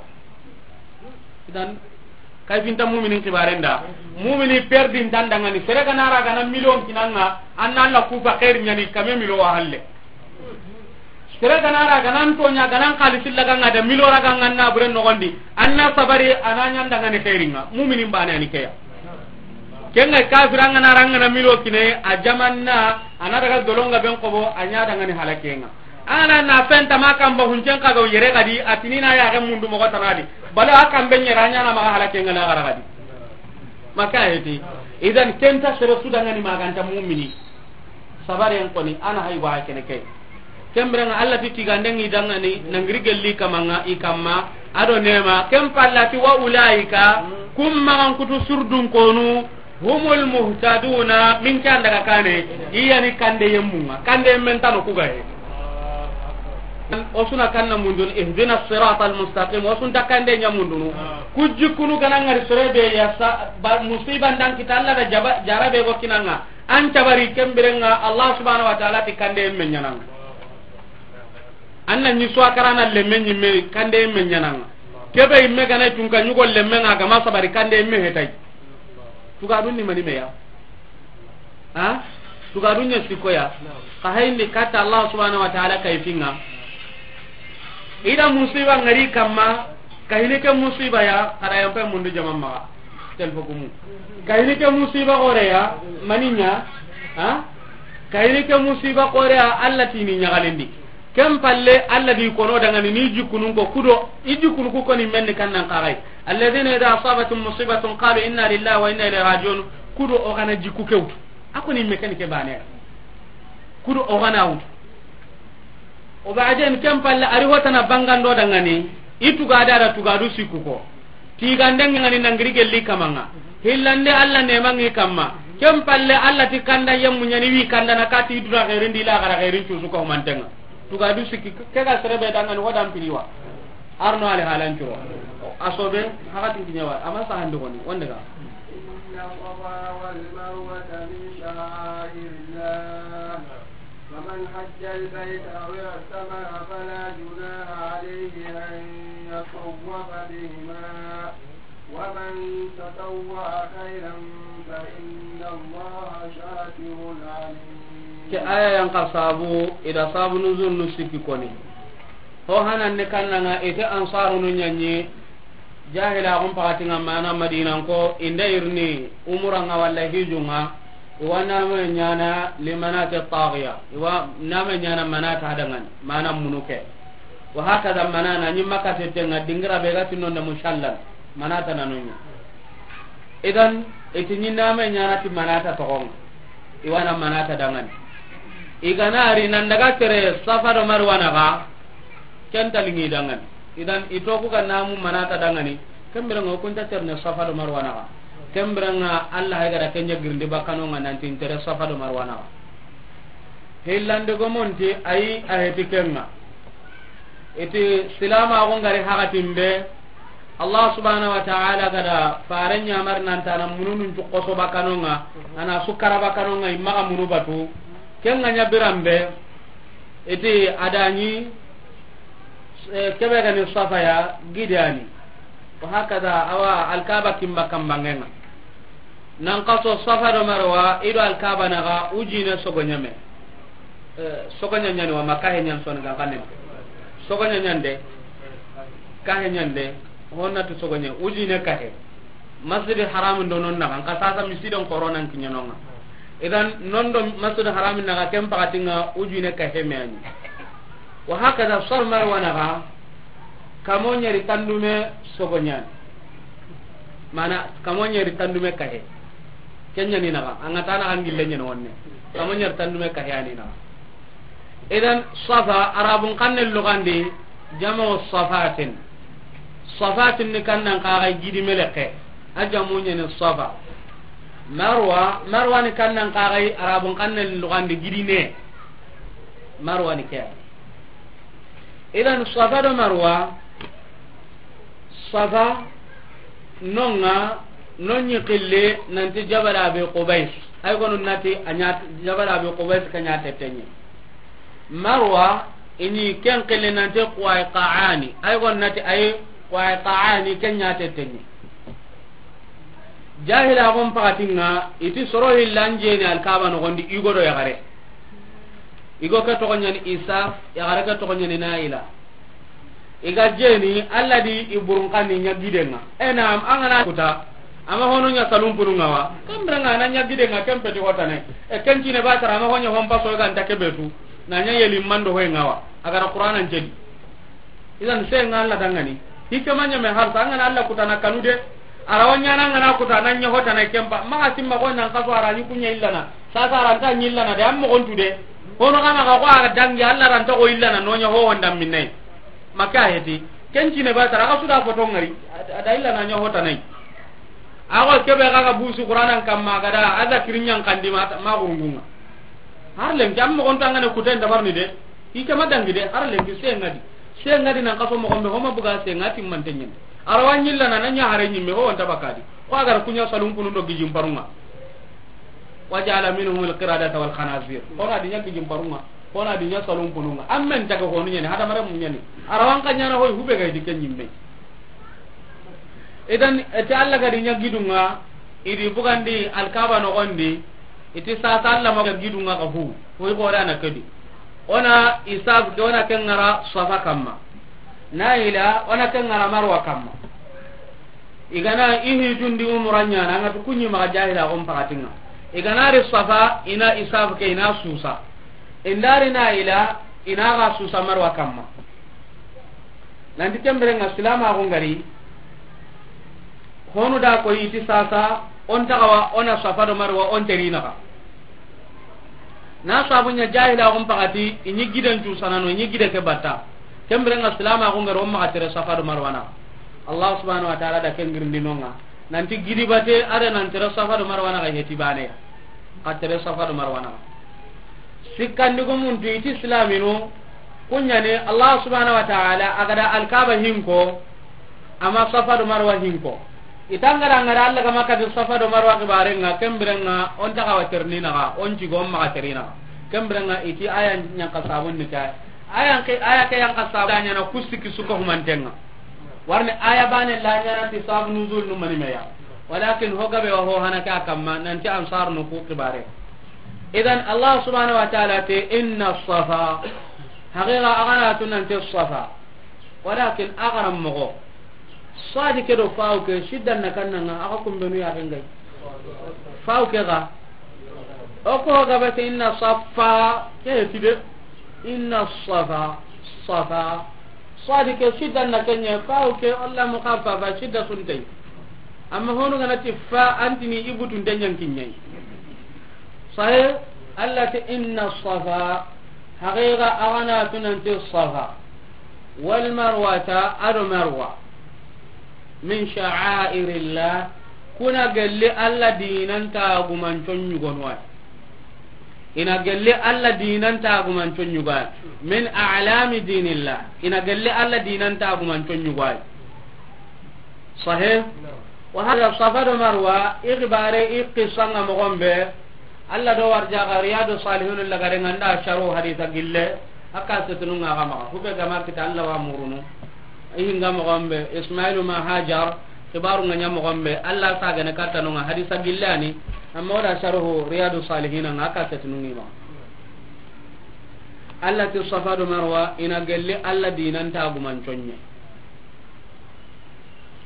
Idan, kayfinta muminin kibaren da. Mumini perdintan dangani. Sere gana ra gana million kinanga, anna Allah kufa khair ɲani kame milo wa halle. Sere gana ra gana ntonya gana xalisi laganga da milo raganga na buren nogondi. Anna sabari ana ɲan dangani khairinga. Muminin bane ani keya. Kenga kafiranga na rangana milo kine a jamanna ana daga dolonga ben kobo a ɲa dangani halakenga. Ana na fenta ma kamba huncen kaga yere gadi, atinina ya ga mundu mogo tanadi. Bala akan ben yera ɲana maga halake ngana gara gadi. Maka heti. Idan kenta sere su dangani maganta mu'mini. Sabaren koni ana hay wa kene kay. Kembranga Allah ti tigande ngi dangani nangiri gelli kamanga i kamma ado nema kem pallati wa ulaika kum magan kutu surdun konu. Humul muhtaduna, min kan daga kane, iyani kande yemmunga, kande yemmen tano kugaye. O suna kanna mundun, ihdina siratal mustaqim, o sunta kande ɲa mundunu. Kujikunu gana ngari sere be ya sa, ba, musiba ndan kita Allah da jaba, jarabe go kinanga. An tabari kembirenga Allah subhanahu wa ta'ala ti kande yemmen ɲananga. Anna ni so akarana lemme ɲimme kande yemmen ɲananga. Kebe imme gana tunka ɲugo lemme ŋa gama sabari kande imme hetay. Tugadun ni mani meya. Ha? Tugadun ɲa sikko ya. Ka hayndi katta Allah subhanahu wa ta'ala kay finga. Ida musiba ngari kamma, ka hini ke musiba ya, kada yampe mundu jama maga. Telfo gumu. Ka hini ke musiba gore ya, maninya. Ha? Ka hini ke musiba gore ya, Allah tini ɲagalindi. Ken palle, Allah di kono dangani ni jikkunun ko kudo, i jikkunu ku koni menni kannan kaxay. Alladhina idha asabathum musibatun qalu inna lillahi wa inna ilayhi raji'un. Kudo o gana jikku kewtu. A koni me ken ke bane. Kudo o gana wutu. O ba'den ken palle ari hotana bangando dangani, i tugada da tugadu sikku ko. Tigande ngani nangiri gelli kamanga. Hillande Allah nemangi kamma. Ken palle Allah ti kanda yemmu ɲani wi kanda na kati dura xerin di la gara xerin cusu ko mantenga. Tugadu sikki ke ga serebe dangani wadan piriwa. Arno ale halan curo. Asobe hakatin kinyawa. Ama sahandi goni. Wonde ga. إن الصفا والمروة من شعائر الله، فمن حج البيت أو اعتمر فلا جناح عليه أن يطوف بهما، ومن تطوع خيرا فإن الله شاكر عليم. Ke aya yan ka sabu, ida sabu nuzul nu sikki koni. Ho hanan ne kannanga ite ansarunu ɲanyi, jahila gun pakatinga mana Madina ko, inda irni umuranga walla hijunga, iwa name ɲana limanati taghiya, iwa name ɲana manata hadangan, mana munuke. Wa hakada manana ni makate tenga dingira be gati nonda mushallan, manata nanonya. Idan, iti ni name ɲana ti manata togonga. Iwana manata dangani. Igana ari nan daga tere Safa do Marwa naga, ken talingi dangani. Idan, itoku ga namu manata dangani, kembirenga hukunta terne Safa do Marwa naga. Kembirenga Allah hay gara kenya girndi bakanonga nanti tere Safa do Marwa naga. Hillande gomonti ayi a heti kenga. Iti silama gon gari hakatin be, Allah subhanahu wa ta'ala gada fare ɲamar nantana mununun cukoso bakanonga, ana sukara bakanonga imma ga munu batu. Kenga ɲa birambe, iti adani, eh, kebe gani Safa ya gidani. Wa hakada awa Alkaba kimba kambangenga. Nan kaso Safa do Marwa, ido Alkaba naga ujine sogo ɲame. Eh, sogo ɲa ɲani wa ma kahe ɲan soni ga kanen. Sogo ɲa ɲande. Kahe ɲande. Honna tu sogo ɲa. Ujine kahe. Masjid Haram do non naga. Nka sasa misidan koronan kiɲanonga. Idan non do Masjid Haram naga ken pakatinga ujine kahe me ani. Wa hakada Safa Marwa naga. Kamo ɲeri tandume sogo ɲani. Mana kamo ɲeri tandume kahe. Kenya ni naga, anga tana angille ɲen wonne. Kamo ɲeri tandume kahe ani naga. Idan Safa, Arabun kanne lugandi, jamo safatin. Safatin ni kannan kaga gidi meleke. A jamu ɲeni Safa. Marwa, Marwa ni kannan kaga Arabun kanne lugandi gidi ne. Marwa ni ke. Idan Safa do Marwa, Safa nonga, nonyi kille nanti Jabal Abi Qubais. Ay kono nati anya Jabal Abi Qubais kanya tetenye. Marwa ini ken kille nanti Quwaiqaani. Ay kono nati ay Quwaiqaani kenya tetenye. Jahila gon pakatinga iti soro hillan jeni Alkaba no gondi igo do yagare. Igo ke togo ɲani Isa, yagare ke togo ɲani Naila. Iga jeni Allah di iburun kani ɲa gidenga. E na am angana kuta. Ama hono ɲa salum punu ngawa. Kambranga na ɲa gidenga kempeti hotane. E kencine ba tara ama hono hompa so ga nta kebetu. Na ɲa yeli mando hoy ngawa. Agara Qur'anan jedi. Idan se nga Allah dangani. Hikama ɲame harsa angana Allah kutana kanu de. Arawa ɲana ngana kutana ɲa hotana kempa. Maga simma ko nan kaso arani kunya illana. Sasa aranta ɲillana de amma gontu de. Hono kana ga ko aga dangi Allah ranta ko illana no ɲa ho honda minne. Maka heti. Kencine ba tara ga suda foto ngari. Ada illana ɲa hotana. Ago kebe ga ga busu Qur'anan kamma gada ada kirinyan kandima ma gurungunga. Har lenki amma gontu angana kuten dabarni de. Hikama dangi de, har lenki se ngadi. Se ngadi nan kaso mo gombe homa buga se ngati mantenyen. Arawa ɲillana na ɲa hare ɲimme ho wanta bakadi. Ko agar kunya salum punu do gijim parunga. Wa ja'ala minhum al-qiradata wal khanazir. Ko na dinya gijim parunga. Ko na dinya salum pununga. Ammen taga ko ɲeni hada mare mun ɲeni. Arawan kanyana hoy hube ga dikke ɲimme. Idan, eti Alla ga di ɲa gidun ŋa, i di bugandi Alkaaba noxon di, i ti sasa Alla ma ga gidun ŋa xa hu, hu i xore a na ke di. O na isaf ke, o na ke ŋara Safa kamma. Na ila, o na ke ŋara Marwa kamma. I ga na i hijun di umura ɲaana, a ŋa tu ku ɲi maxa jaahilaaxun paxatin ŋa. I ga na ri Safa, i na isaf ke, i na suusa. I nda ri na ila, i na ga suusa Marwa kamma. Nanti ken biren ŋa silaamaaxu ga ri, honu da ko i ti sasa, o n taxawa, o na Safa do Marwa, o n teri naxa. Na sabu ɲa jaahilaaxun paxati, i ɲi giden cuusanano, i ɲi gide ke batta. Ken biren ŋa silaamaaxu ga ri, o maxa tere Safa do Marwa naxa. Allah subhanahu wa ta'ala da ken girindinonŋa. Nanti gidi bate, a da nan tere Safa do Marwa naxa heti baane ya. Xa tere Safa do Marwa naxa. Sikkandi gumun tu i ti silaaminu, ku ɲa ni Allah subhanahu wa ta'ala a ga da Alkaaba hinko, a ma Safa do Marwa hinko. I ta ŋa da ŋa da Alla ga ma kati Safa do Marwa xibaaren ŋa, ken biren ŋa o n taxawa terni naxa, o n cigo o maxa teri naxa. Ken biren ŋa i ti aya ɲa n xa sabun ni ke. Aya ke, aya ke ya n xa sabun ɲaana ku sikki su ko humanten ŋa. Warni aya baane la ɲaana ti sabun nuzul nu mani me ya. Walakin ho gabe wa ho hana ke a kamma nanti Ansaarunu ku xibaare. Idan Allah subhanahu wa ta'ala ti inna Safa, haqiqa a ga na tu nanti Safa. Walakin a ga ra moxo. Sadi ke do faw ke, siddan na kanna ŋa, a ga kumbenu ya ken ŋa yi. Faw ke ga. O ko ga bate inna Safa, ke ti de. Inna Safa, Safa. Sadi ke siddan na ken ɲa, faw ke Allah mukhaffafa, sidda su nta yi. Amma honu ga na ti fa, a nti ni i butun de ɲa n kiɲe yi. Sahe, Allah ti inna Safa, haqiqa a ga na tu nanti Safa. Wal Marwata, a do Marwa. Min sha'airillah, ku na gelli Alla diinan taagumanco ɲugonu wa. I na gelli Alla diinan taagumanco ɲuga. Min a'lami diinillah, i na gelli Alla diinan taagumanco ɲuga. Sahih? Wa hada Safa do Marwa, i xibaare, i qissa ŋa moxon be, Alla do warjaxa Riyadu Salihun lagare ŋa nda sharu hadisa gille, a ka setunu ŋa ga maxa. Ku be ga ma kita Alla wa murunu. I hinga moxon be, Ismailu ma Hajar, xibaaru ŋa ɲa moxon be, Alla sa gane katta no ŋa hadisa gille a ni, amma o da sharuhu Riyadu Salihina ŋa a ka setunu ŋi ma. Alla ti Safa do Marwa, i na gelli Alla diinan taagumanco ɲa.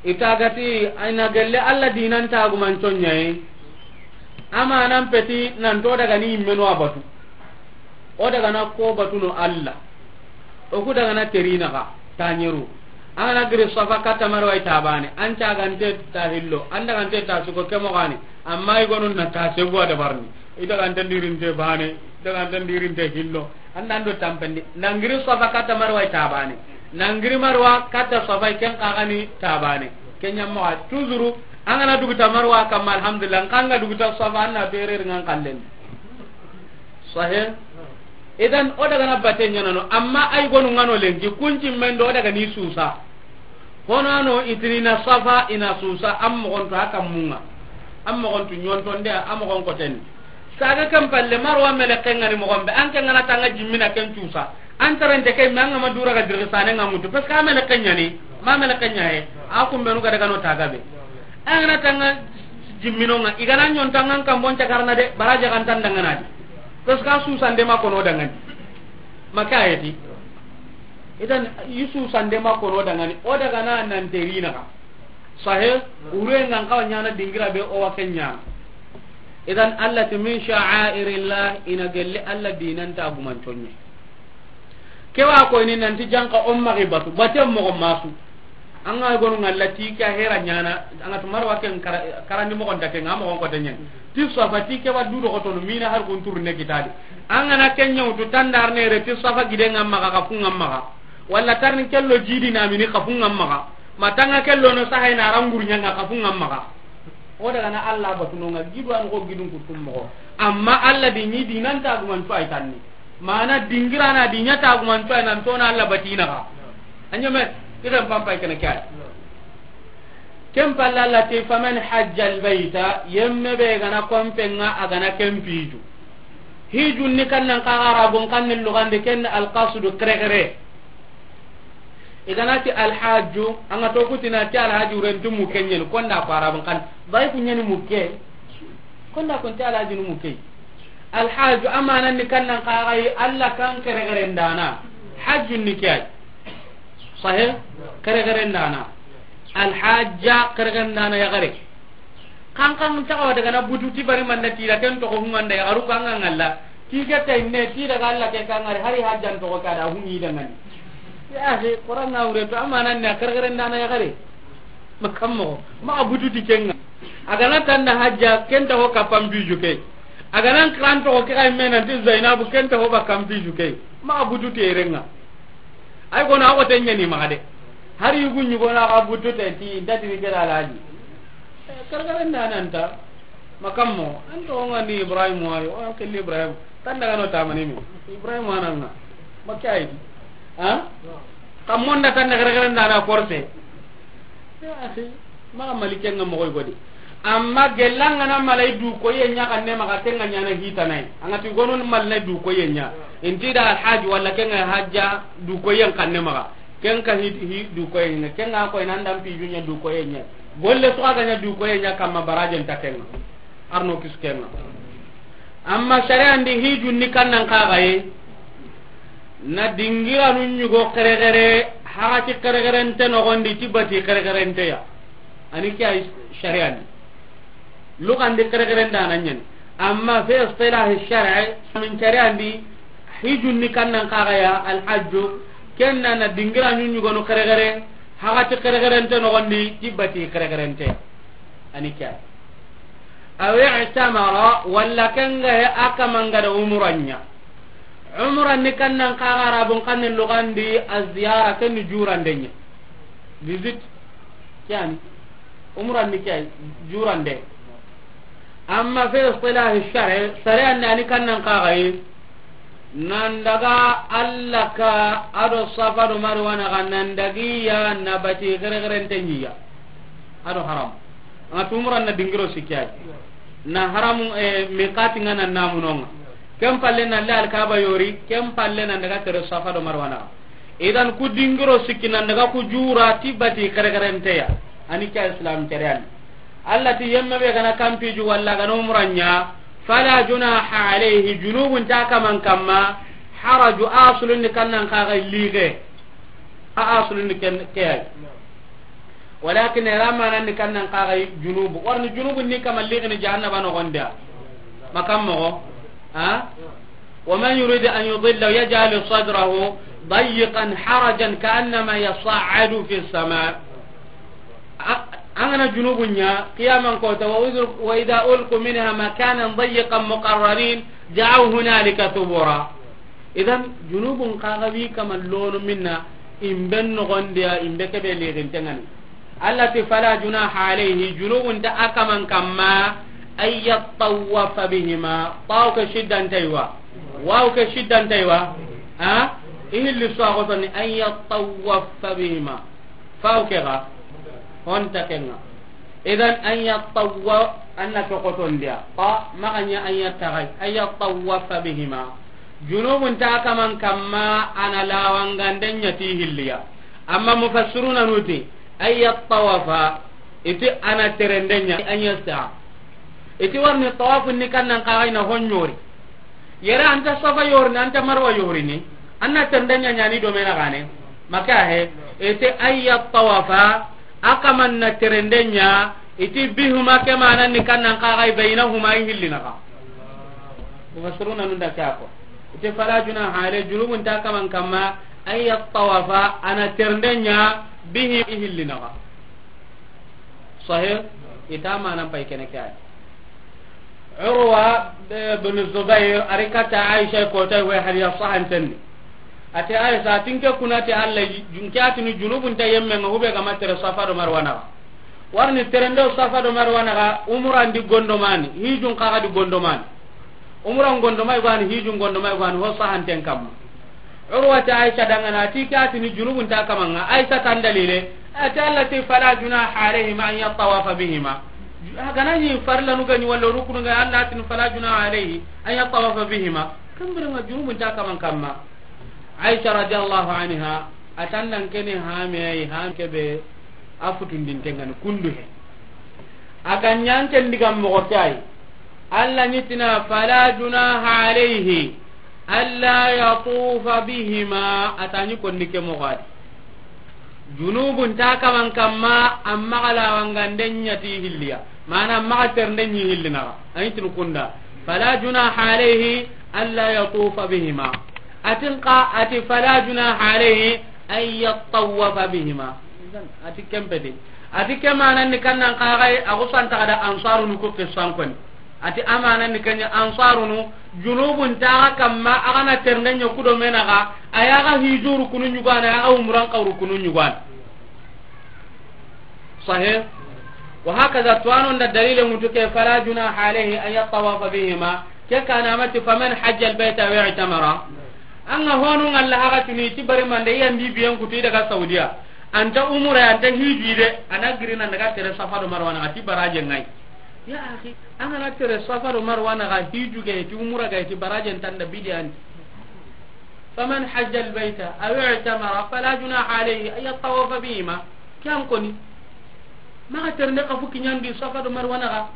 I ta ga ti, i na gelli Alla diinan taagumanco ɲa yi. Amanan peti, nan to daga ni yimmenu a batu. O daga na ko batu no Alla. O ku daga na teri naxa, taɲeru. An ga na giri Safa katta Marwa i ta baane. An cagante ta hillo. An dagante ta suko ke moxo ni. Amma i gonu na ta segu a dabarini. I dagante ndirinte baane. I dagante ndirinte hillo. An nan do tampendi. Nan giri Safa katta Marwa i ta baane. Nan giri Marwa katta Safa i ken xa ga ni ta baane. Ken ɲa moxo. Toujours, an ga na dugu ta Marwa kamma, alhamdulillah. An ga dugu ta Safa, an na bere ri ŋa n kallen. Sahih? Idan, o daga na bate ɲaana no, amma ay gonu ŋa no lenki, kunci men do o daga ni suusa. Hono ano i ti ni na Safa, i na suusa, am moxon to a kammun ŋa. Am moxon to ɲontonde, am moxon koten. Saga kan palle Marwa meleqen ŋa ni moxon be, an ke ŋa na tanga jimmina ken cuusa. An tarante ke, me an ga ma dura ga dirgi sane ŋa mutu. Parce que a meleqen ɲa ni, ma meleqen ɲa he. A kumbenu ga daga no taga be. An ga na tanga jimminonŋa, i ga na ɲontanŋan kanbon cakarna de, baraje kan tan dangana di. Parce que a susande ma kono dangani. Maka ayeti. Idan, i susande ma kono dangani. O daga na nan teri naxa. Sahe, ure ngan kawa ɲana dingira be o wa ken ɲana. Idan, Allah ti min sha'airillah, i na gelli Allah dinan tagumanco ɲa. Ke wa koyini nanti janka o maxi batu, baten moxo masu. An ga gonu ŋa la ti ke a hera ɲana, an ga tu Marwa ken kara-, karandi moxon ta ke ŋa, moxon kote ɲani. Ti Safa ti ke wa du do xotono mina har kun turne kitadi. An ga na ken ɲawtu tandar ne re ti Safa gide ŋa maxa, xafu ŋa maxa. Walla tarni kello jidi na mini xafu ŋa maxa. Ma tanga kello no sahay na rangur ɲa ŋa xafu ŋa maxa. O daga na Allah batu no ŋa gidu an ko gidun kutum moxo. Amma Allah di ɲi dinan tagumanco ay tanni. Mana dingirana di ɲa tagumanco ay nan tona Allah batina xa. A ɲeme, i xen pampay kene ke ay. Ken palle Allah ti, faman hajja albayta, yemme be ga na kompen ŋa a ga na ken piju. Hijun ni kannan xa Arabun kanni lugande ken alqasdu kere kere. I ga na ti alhaju, an ga to ku ti na ti alhaju ren ti mukke ɲa ni, ko nda ko arabun xanne. Bay ku ɲa ni mukke. Ko nda ko ti alhaju ni mukke. Alhaju amanan ni kannan xa ga yi Alla kan xerexeren daana. Hajjun ni ke yi. Sahih? Xerexeren daana. Alhajja xerexeren daana yaxare. Kan kan ta wa daga na butu ti bari man da ti da ken toxo hunganda yaxaru kan ga ŋalla. Ti ke tay ne ti daga Alla ke kan ŋari hari hajjan toxo ka da hungi da ŋani. Ya akhi, Qur'an na wure to amanan ne xerexeren daana yaxare. Ma kammo, ma butu ti ken ŋa. A ga na tanda hajja ken ta ho ka pampi juke. A ga nan kiran toxo ke kay mena ti Zainabu ken ta ho ba kampi juke. Ma butu ti eren ŋa. Ay gono a ko ten ɲa ni maxa de. Hari yugu ɲugo na xa butu te ti nda ti ni kera laji. Xerexeren daana nta. Ma kammo, an toxo ŋa ni Ibrahim wa yi, wa kelli Ibrahim. Tan daga no tamani mi. Ibrahim wa nan ŋa. Ma ke yi di. Ha? Kammo nda tan daga xerexeren daana korse. Ya akhi, ma malike ŋa moxo yi godi. Amma gella an ga na malay du koye ɲa kanne maxa, ken ŋa ɲa na hitana yi. An ga ti gono malay du koye ɲa. Inti da alhaji wala ken ŋa hajja du koye kanne maxa. Ken ka hi, hi du koye ɲa. Ken ŋa ko nan dan piju ɲa du koye ɲa. Golle su ga ɲa du koye ɲa kamma barajen ta ken ŋa. Arno kis ken ŋa. Amma shari'an di hijun ni kannan xa ga yi. Na dingiranu ɲugo xerexere, haqati xerexerente noxondi ti bati xerexerente ya. A ni ke yi shari'an di. Luxan di xerexeren daana ɲa ni. Amma fi istilahi shar'i, min shari'an di, hijun ni kannan xa ga ya, alhajju, ken na na dingiranu ɲugonu xerexere, haqati xerexerente noxondi ti bati xerexerente ya. A ni ke yi. Aw i'tamara, walla ken ga ya a kaman ga da umuran ɲa. Umran ni kannan xa ga arabun xanne luxan di aziyara, ken ni jurande ɲa. Visit. Ke ya ni. Umran ni ke yi, jurande. Amma fi istilahi shar'i, shari'an di a ni kannan xa ga yi. Nan daga Alla ka a do Safa do Marwa na ga nan dagi ya na bati xerexerente ɲi ya. A do haram. An ga ti umuran na dingiro sikki ya yi. Na haramu, eh, miqati ŋa na namuno ŋa. Ken palle na le Alkaba yori, ken palle na daga tere Safa do Marwa na. Idan ku dingiro sikki nan daga ku jura ti bati xerexerente ya. A ni ke yi Islam shari'an di. Alla ti yemme be ga na kampiju walla ga na umuran ɲa, fala junaha alayhi, junubun ta kaman kamma, haraju asulun ni kannan xa ga yi lixe. A asulun ni ken ke yi. Walakin era manan ni kannan xa ga yi junubu. Warni junubun ni kaman lixe ni jahannaba noxondi ya. Ma kammo, ha? ومن يرد أن يضله يجعل صدره ضيقا حرجا كأنما يصعد في السماء. A-, an ga na junubun ɲa, qiyaman kota, wa udhir-, وإذا ألقوا منها مكانا ضيقا مقرنين دعوا هنالك ثبورا. Idan, junubun xa ga wi kaman lono minna, imben noxondi ya, imbe kebe lixinte ŋa ni. Alla ti fala junaha alayhi, junubun ta a kaman kamma, an yattawafa bihima, taw ke shiddante yi wa, waw ke shiddante yi wa, ha? I hilli su a xotoni, an yattawafa bihima. Faw ke ga, honta ken ŋa. Idan an yattawa-, an na ke xotondiya. Xa, maxa ɲa an yattaxay, an yattawafa bihima. Junubun ta kaman kamma a na lawangande ɲa ti hilliya. Amma mufassiruna nuti, an yattawafa, iti a na terende ɲa, an yasta. Iti warni tawafun ni kannan xa ga yi na hon ɲori. Yere an ta Safa yorini, an ta Marwa yorini. An na terende ɲa ɲa ni do mena gane. Maka he, iti an yattawafa, a kaman na terende ɲa, iti bihuma ke manan ni kannan xa ga yi baynahuma i hilli na xa. Mufassiruna nun da ke ko. Iti fala junaha alayhi, junubun ta kaman kamma, an yattawafa, a na terende ɲa, bihi i hilli na xa. Sahih? Ita manan pay kene ke ay. Urwa, eh, bin Zubair, a ri kata Aisha ko tay we hadiya sahanten ni. Ati Aisha, tinke kuna ti Alla, jun ke atini junubun ta yemme ŋa hube ga ma tere Safa do Marwa na. Warni terendo Safa do Marwa na, umran di gondomani, hijun xa ga di gondomani. Umran gondomay gani, hijun gondomay gani, ho sahanten kamma. Urwa ti Aisha dangana, ti ke atini junubun ta kaman ŋa. Aisha tan dalile, ati Alla ti fala junaha alayhima an yattawafa bihima. Hagana ni farla nu gani wala rukunu ga, Alla tin fala junaha alayhi an yattawafa bihima. Kambira ŋa junubun ta kaman kamma. Aisha radiyallahu anha, A tan nan kene hame ay, ham kebe a futundinte ngani kundu he. A ga ɲa an ken digan moxo ke ay. Alla ni tina, "Fala junaha alayhi alla yatufa bihima." A ta ni konni ke moxo adi. Junubun ta kaman kamma, amma ga lawanganden ɲa ti hilliya. Mana maxa ternden ɲi hillinaxa. A ni tin kunda. "Fala junaha alayhi alla yatufa bihima." A tin xa, a ti, "Fala junaha alayhi an yattawafa bihima." A ti ken peti. A ti ke manan ni kannan xa ga yi, a xusan taxa da ansarunu ku ke sankoni. A ti a manan ni kenya ansarunu, junubun ta ga kamma, a ga na ternden ɲa ku do menaxa, a ya ga hijuru kunu ɲugana, a ya ga umuran xawru kunu ɲugana. Sahih. Wa hakaza, tuwano nda dalile mutu ke, "Fala junaha alayhi an yattawafa bihima." Ke kana mati, "Faman hajja albayta aw i'tamara." An ga honu ngalla haga tuni ti bari mande yan bi biyen kutu daga Saudiya. Anta umura, anta hiji de, a na girina daga tere Safa do Marwa na ti baraje ngai. Ya akhi, an ga na tere Safa do Marwa na ga hiju ga ti umura ga ti baraje ntanda bidiyan. "Faman hajja albayta aw i'tamara fala junaha alayhi an yattawafa bihima." Ke an koni. Maxa terende xa fu kiɲandi Safa do Marwa na ga.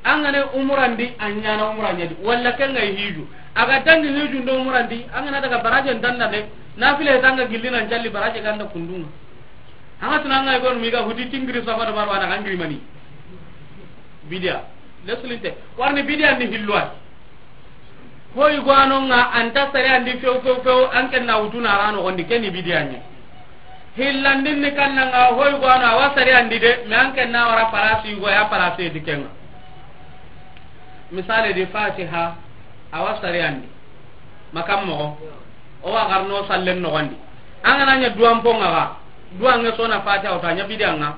An ga na umurandi, a ɲana umura ɲa di. Walla ken ga hiju. A ga dangi hiju ndo umurandi, an ga na daga baraje ndanda de. Nafile tanga gilli nan calli baraje ganda kundunga. An ga tuna an ga gonu mi ga huti tingiri Safa do Marwa na ga ngiri mani. Bidiya. Lesulinte. Warni bidiya ni hilwai. Hoy gwano nga anta sare andi few few few, an ken na wutuna rano gondi keni bidiya ɲa. Hillandin ni kanna nga hoy gwano awa sare andi de, me an ken na wara palasi go ya palasi di kenga. Misale di Fatiha, awa sare andi. Makam moxo. O wa garno sallen noxondi. An ga na ɲa duwan ponga ga. Duwan nge sona Fatiha o ta ɲa bidiya nga.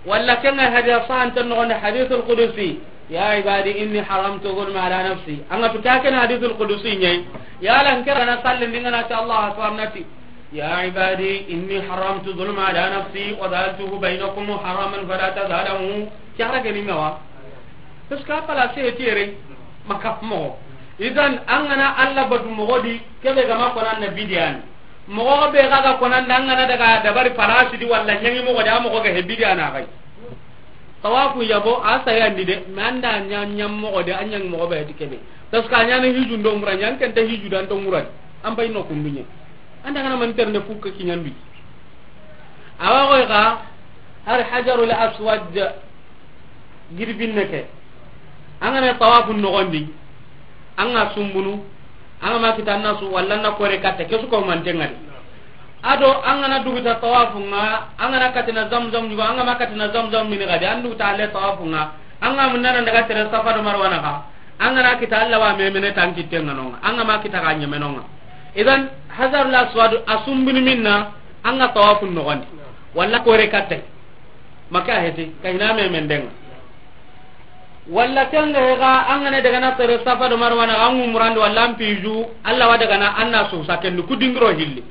Walla kenga hadiya sahanten noxondi, hadithul qudusi. "Ya ibadi inni haramtu zulma ala nafsi." An ga tu ka ken hadithul qudusi ɲai. Ya lan kera na sallen dinga na ta Allah akbar nati. "Ya ibadi inni haramtu zulma ala nafsi wa ja'altuhu bainakum muharraman fala tazalamu." Kera ke ni ngawa. Parce que a palasi e tiyere, makaf moxo. Idan, an ga na Allah batu moxo di, kebe ga ma konan na bidiyan. Moxo be ga ga konan da an ga na daga dabari palasi di walla ɲangi moxo di, a moxo ga he bidiyan a ga yi. Tawafu yabo, a sayandi de, mais an da ɲa, ɲa moxo de, a ɲangi moxo be ti kebe. Parce que a ɲana hiju ndo umura ɲa, an ken ta hiju da ndo umura. An bay no kunduɲe. An da ga na man ternde fukka kiɲandu. Awa goy ga, har Hajarul Aswad. Giri binne ke. An ga na tawafu noxondi, an ga sumbunu, an ga ma kita an na su, walla an na kore katta, ke su ko manten ŋa di. Ado an ga na duguta tawafu ŋa, an ga na katina Zamzam ɲugo, an ga ma katina Zamzam mini ga di, an duguta ale tawafu ŋa, an ga munna na daga tere Safa do Marwa na ga, an ga na kita Allah wa memene tan kitten ŋa no ŋa, an ga ma kita ga ɲeme no ŋa. Idan, Hajarul Aswad a sumbunu minna, an ga tawafu noxondi, walla kore katta. Maka heti, ka hina me mendenga. Walla kenga hega, an ga na daga na tere Safa do Marwa na, an umrandi, walla an piju, Allah wa daga na, an na su sa kendu, ku dingiro hilli.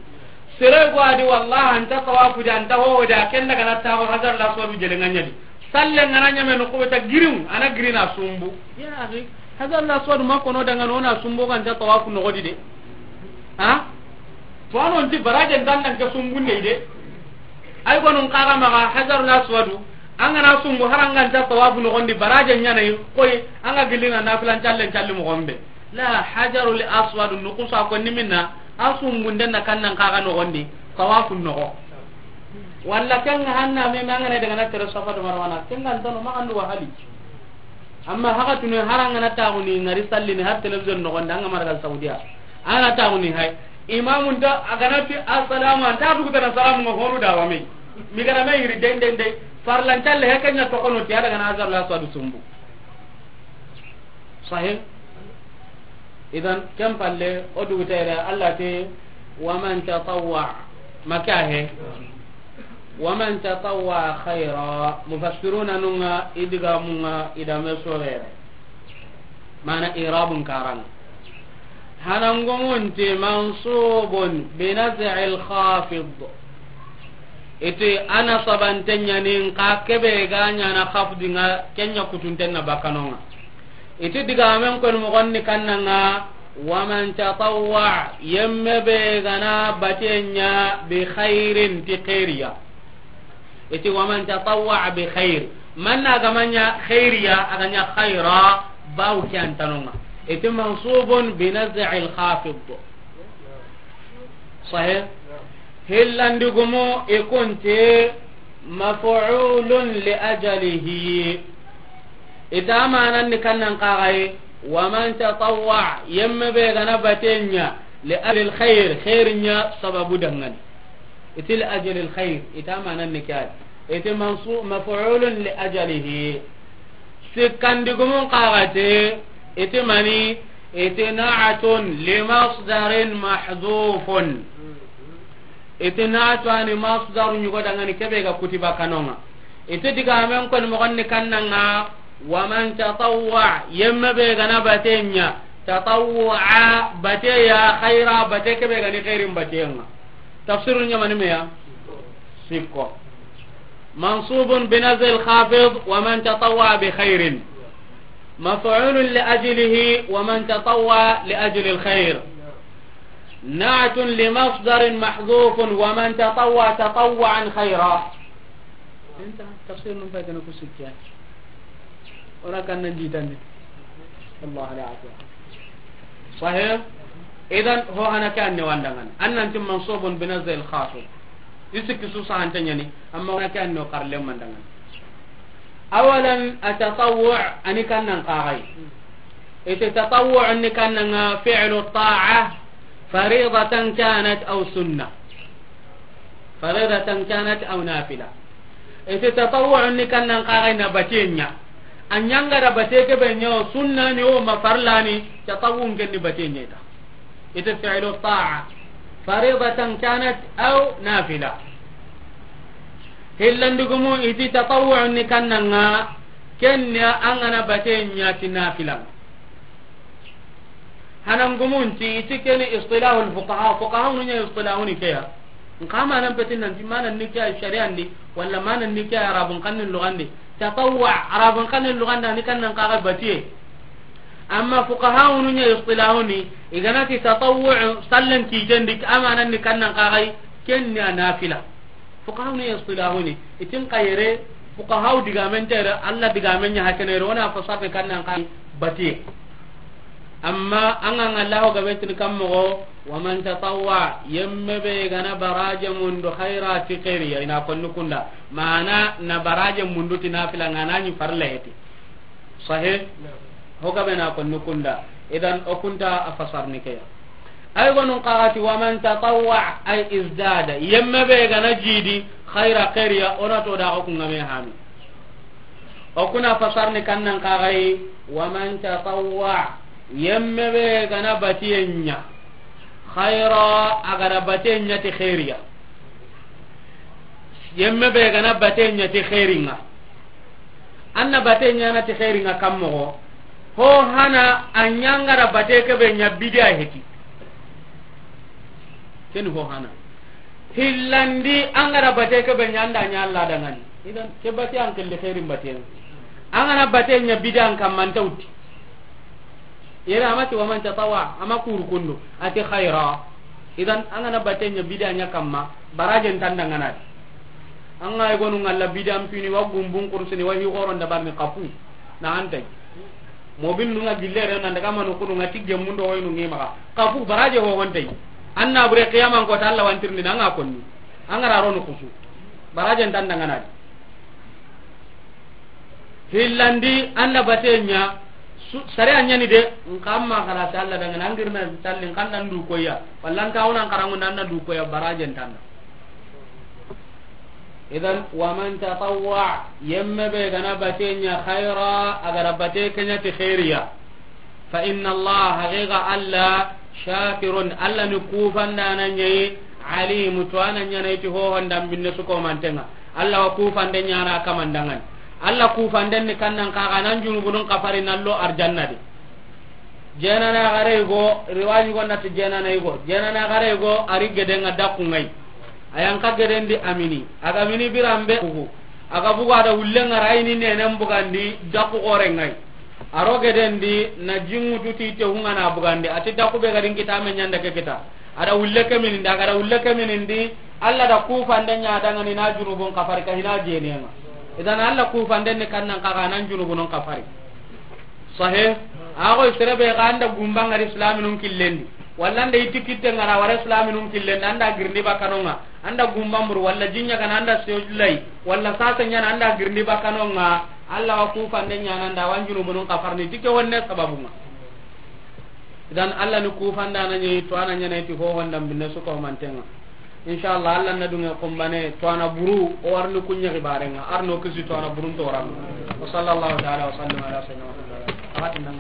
Sere go adi, wallah, anta tawafu di, anta ho di, a ken daga na tawo Hajar la so bi jele nganya di. Salle ngana nyame no ko ta girin, ana girina sumbu. Ya akhi, Hajar la so ma kono daga no na sumbu kan ta tawafu no di de. Ha? To ano nti baraje ndandan ke sumbunne de. Ay gonun kaga maga Hajarul Aswadu, an ga na sumbu har an ga nta tawafu noxondi baraje ɲana yi, koy an ga gillina nafilan callen calli moxon be. La, Hajarul Aswadu nukusa ko ni minna, a sumbunden na kannan kaga noxondi, tawafu noxo. Walla kenga hanna me, me an ga na daga na tere Safa do Marwa na, kenga ntano maxa ndu wahali. Amma haga tunu har an ga na taxuni ngari sallini har television noxondi, an ga maragal Saudiya. An ga na taxuni hay. Imamun ta a ga na ti assalamu, anta dugu tana salamu nga honu da wa me. Mi ga na me yiri den den de. Farlan talle he kenya to kono ti ada ga na Hajarul Aswadu sumbu. Sahih. Idan, ken palle, o dugu tere, Allah te, "Wa man tatawwa," maka he. "Wa man tatawwa khayra," mufassiruna nunga, idiga munga, idame sorere. Mana irabun karang. Hanangongonte mansubun binaz'il khafid. Ite ana sabantenya nin ka kebe ga nyana khafdinga kenya kutuntenna bakanonga. Iti digamen kon moxon ni kannanga, Wa man tatawwa, yemme be ga na bate ɲa, bi khairin, ti khairiya. I ti wa man tatawwa bi khair. Man na ga ma ɲa khairiya, a ga ɲa khaira, bawu ke an tanonga. I ti mansubun bi naz'il khafid. Sahih? Hillandi gumu i kunti maf'ulun li ajalihi. I ta manan ni kannan kaxayi, wa man tatawwa, yemme be ga na bate ɲa, li ajlil khair, khair ɲa sababu dangani. I ti li ajlil khair, i ta manan ni kay. I ti mansu-, maf'ulun li ajalihi. Sikkandi gumun kaxati, i ti mani, i ti na'atun li masdarin mahdhufun. I ti na'atu ani masdaru ɲugo dangani kebe ga kutiba kanonga. I ti digamen koni moxon ni kannanga, wa man tatawwa, yemme be ga na bate ɲa, tatawwa, bate ya, khaira, bate kebe ga ni khairin batenga. Tafsiru ɲamani meya? Sikko. Mansubun bi naz'il khafid, wa man tatawwa bi khairin. Maf'ulun li ajlihi, wa man tatawwa li ajlil khair. Na'tun li masdarin mahdhufun, wa man tatawwa tatawwu'an khaira. Inta, tafsir num pay kana ku sikkiya. Ora kan nan jitandi. Allah ala afiya. Sahih? Idan, ho hana ke anne wandangan. Annan tim mansubun bi naz'il khafid. I sikki su sahante ɲani, amma hana ke anne o karle mandangan. Awalan, atatawwu' ani kannan kaxayi. Ite tatawwu' ni kannanga fi'lu ta'a, faridatan kanat aw sunna. Faridatan kanat aw nafila. Ite tatawwu' ni kannan kaxayi na bate ɲa. A ɲanga da bate kebe ɲa o sunna ni o ma farla ni, tatawwu' ken ni bate ɲa ita. Ite fi'lu ta'a, faridatan kanat aw nafila. Hillandi gumu i ti tatawwu' ni kannanga, ken ni an ga na bate ɲa ti nafila. Hanan gumun ti, i ti keni istilahul fuqaha, fuqaha nu ɲa istilahuni keya. Nka manan petin nan ti manan ni keya shari'andi, wala manan ni keya arabun xannin lugandi. Tatawwu' arabun xannin lugandi ni kannan kaxa batiye. Amma fuqaha nu ɲa istilahuni, i ga na ti tatawwu' sallen kitendi, a manan ni kannan kaxayi, ken ni a nafila. Fuqaha nu ɲa istilahuni, i ti n kayere, fuqaha digamen tere, Allah digamen ɲa hakenere, wona fasarni kannan kaxayi batiye. Amma an ga ŋa Allahu gabe tini kan moxo, wa man tatawwa, yemme be ga na baraje mundu khaira ti khairiya, i na konni kunda. Mana na baraje mundu ti nafila nga na ɲi farla heti. Sahih? Naam. Ho gabe na konni kunda. Idan o kunta a fasarni keya. Ay gonun kaxati wa man tatawwa ay izdada. Yemme be ga na jidi khaira khairiya, o na to da o kunga me hami. O kuna fasarni kannan kaxayi, wa man tatawwa, yemme be ga na batiye ɲa, khaira, a ga da batiye ɲa ti khairiya. Yemme be ga na batiye ɲa ti khairinga. An na batiye ɲa na ti khairinga kan moxo. Ho hana a ɲanga da batiye kebe ɲa bidiya heti. Ken ho hana. Hillandi an ga da bate ke be ɲa, an da ɲa Allah dangani. Idan ke bate an kelle khairin bate. An ga na bate ɲa bidan kamman tawti. Yere amati wa man tatawwa, ama kuru kundo, ati khaira. Idan an ga na bate ɲa bidan ɲa kamma, barajen tanda ngana. An ga gonu ngalla bidan pini wa gumbun kursini wa hi goron da barni kafu. Na antai. Mobin nunga gillere nan daga manu kunu nga tigge mundo waynu ngi maxa. Kafu baraje ho hontai. Anna bure qiyaman ko ta Allah wantirni nanga konni. Angara ronu kusu. Baraje ntan dangana di. Hillandi anda batenya. Sare anyani de. Nkamma kala ta Allah dangana angirna tallin kandan du koya. Wallan tawna karangu nanna du koya baraje ntanda. Idan, wa man tatawwa, yemme be gana bate ɲa khaira, a gara bate ke ɲa ti khairiya. Fa inna Allah, haqiqa Allah, shakirun, Allah ni kufandana ɲa yi, alim, to ana ɲa na iti ho honda binne su ko mantenga. Allah wa kufande ɲa na kamandangan. Allah kufanden ni kannan kaga nan junubunun kafari nallo arjanna de. Jenana gare go, riwaji go nati jenana go. Jenana gare go, ari gedenga daku ngai. Ayan ka gedendi amini. Aga mini birambe kugu. Aga bugu ada ullenga raini nenen bugandi daku gore ngai. A ro geden di na jinŋutu ti te hunŋa na bugandi, a ti da kube ga ri n kita me ɲanda ke kita. A da wulle ke minindi, a ga da wulle ke minindi, Alla da kufande ɲa dangani na junubun kafari ka hina jenenŋa. Idan Alla kufande ni kannan kaga nan junubun kafari. Sahe, a go sere be ga an da gumba ŋari islaminun killendi. Walla an da iti kitte ŋara wara islaminun killendi, an da girindi bakanonŋa. An da gumba mburu, walla jinɲa gana an da seyojulay, walla sasa ɲana an da girindi bakanonŋa, Alla wa kufande ɲana an da wa junubunun kafarni, ti ke wonne sababunŋa. Idan Alla ni kufanda na ɲi, to a na ɲana ti ho honda binne su ko mantenŋa. Inshallah, Alla na dunŋe kumbane, to a na buru, o warni kuɲe xibarenŋa, arno kisi to a na burun to ran. Wa sallallahu ta'ala wa sallam ala sayyidina Muhammad. Awatin nan.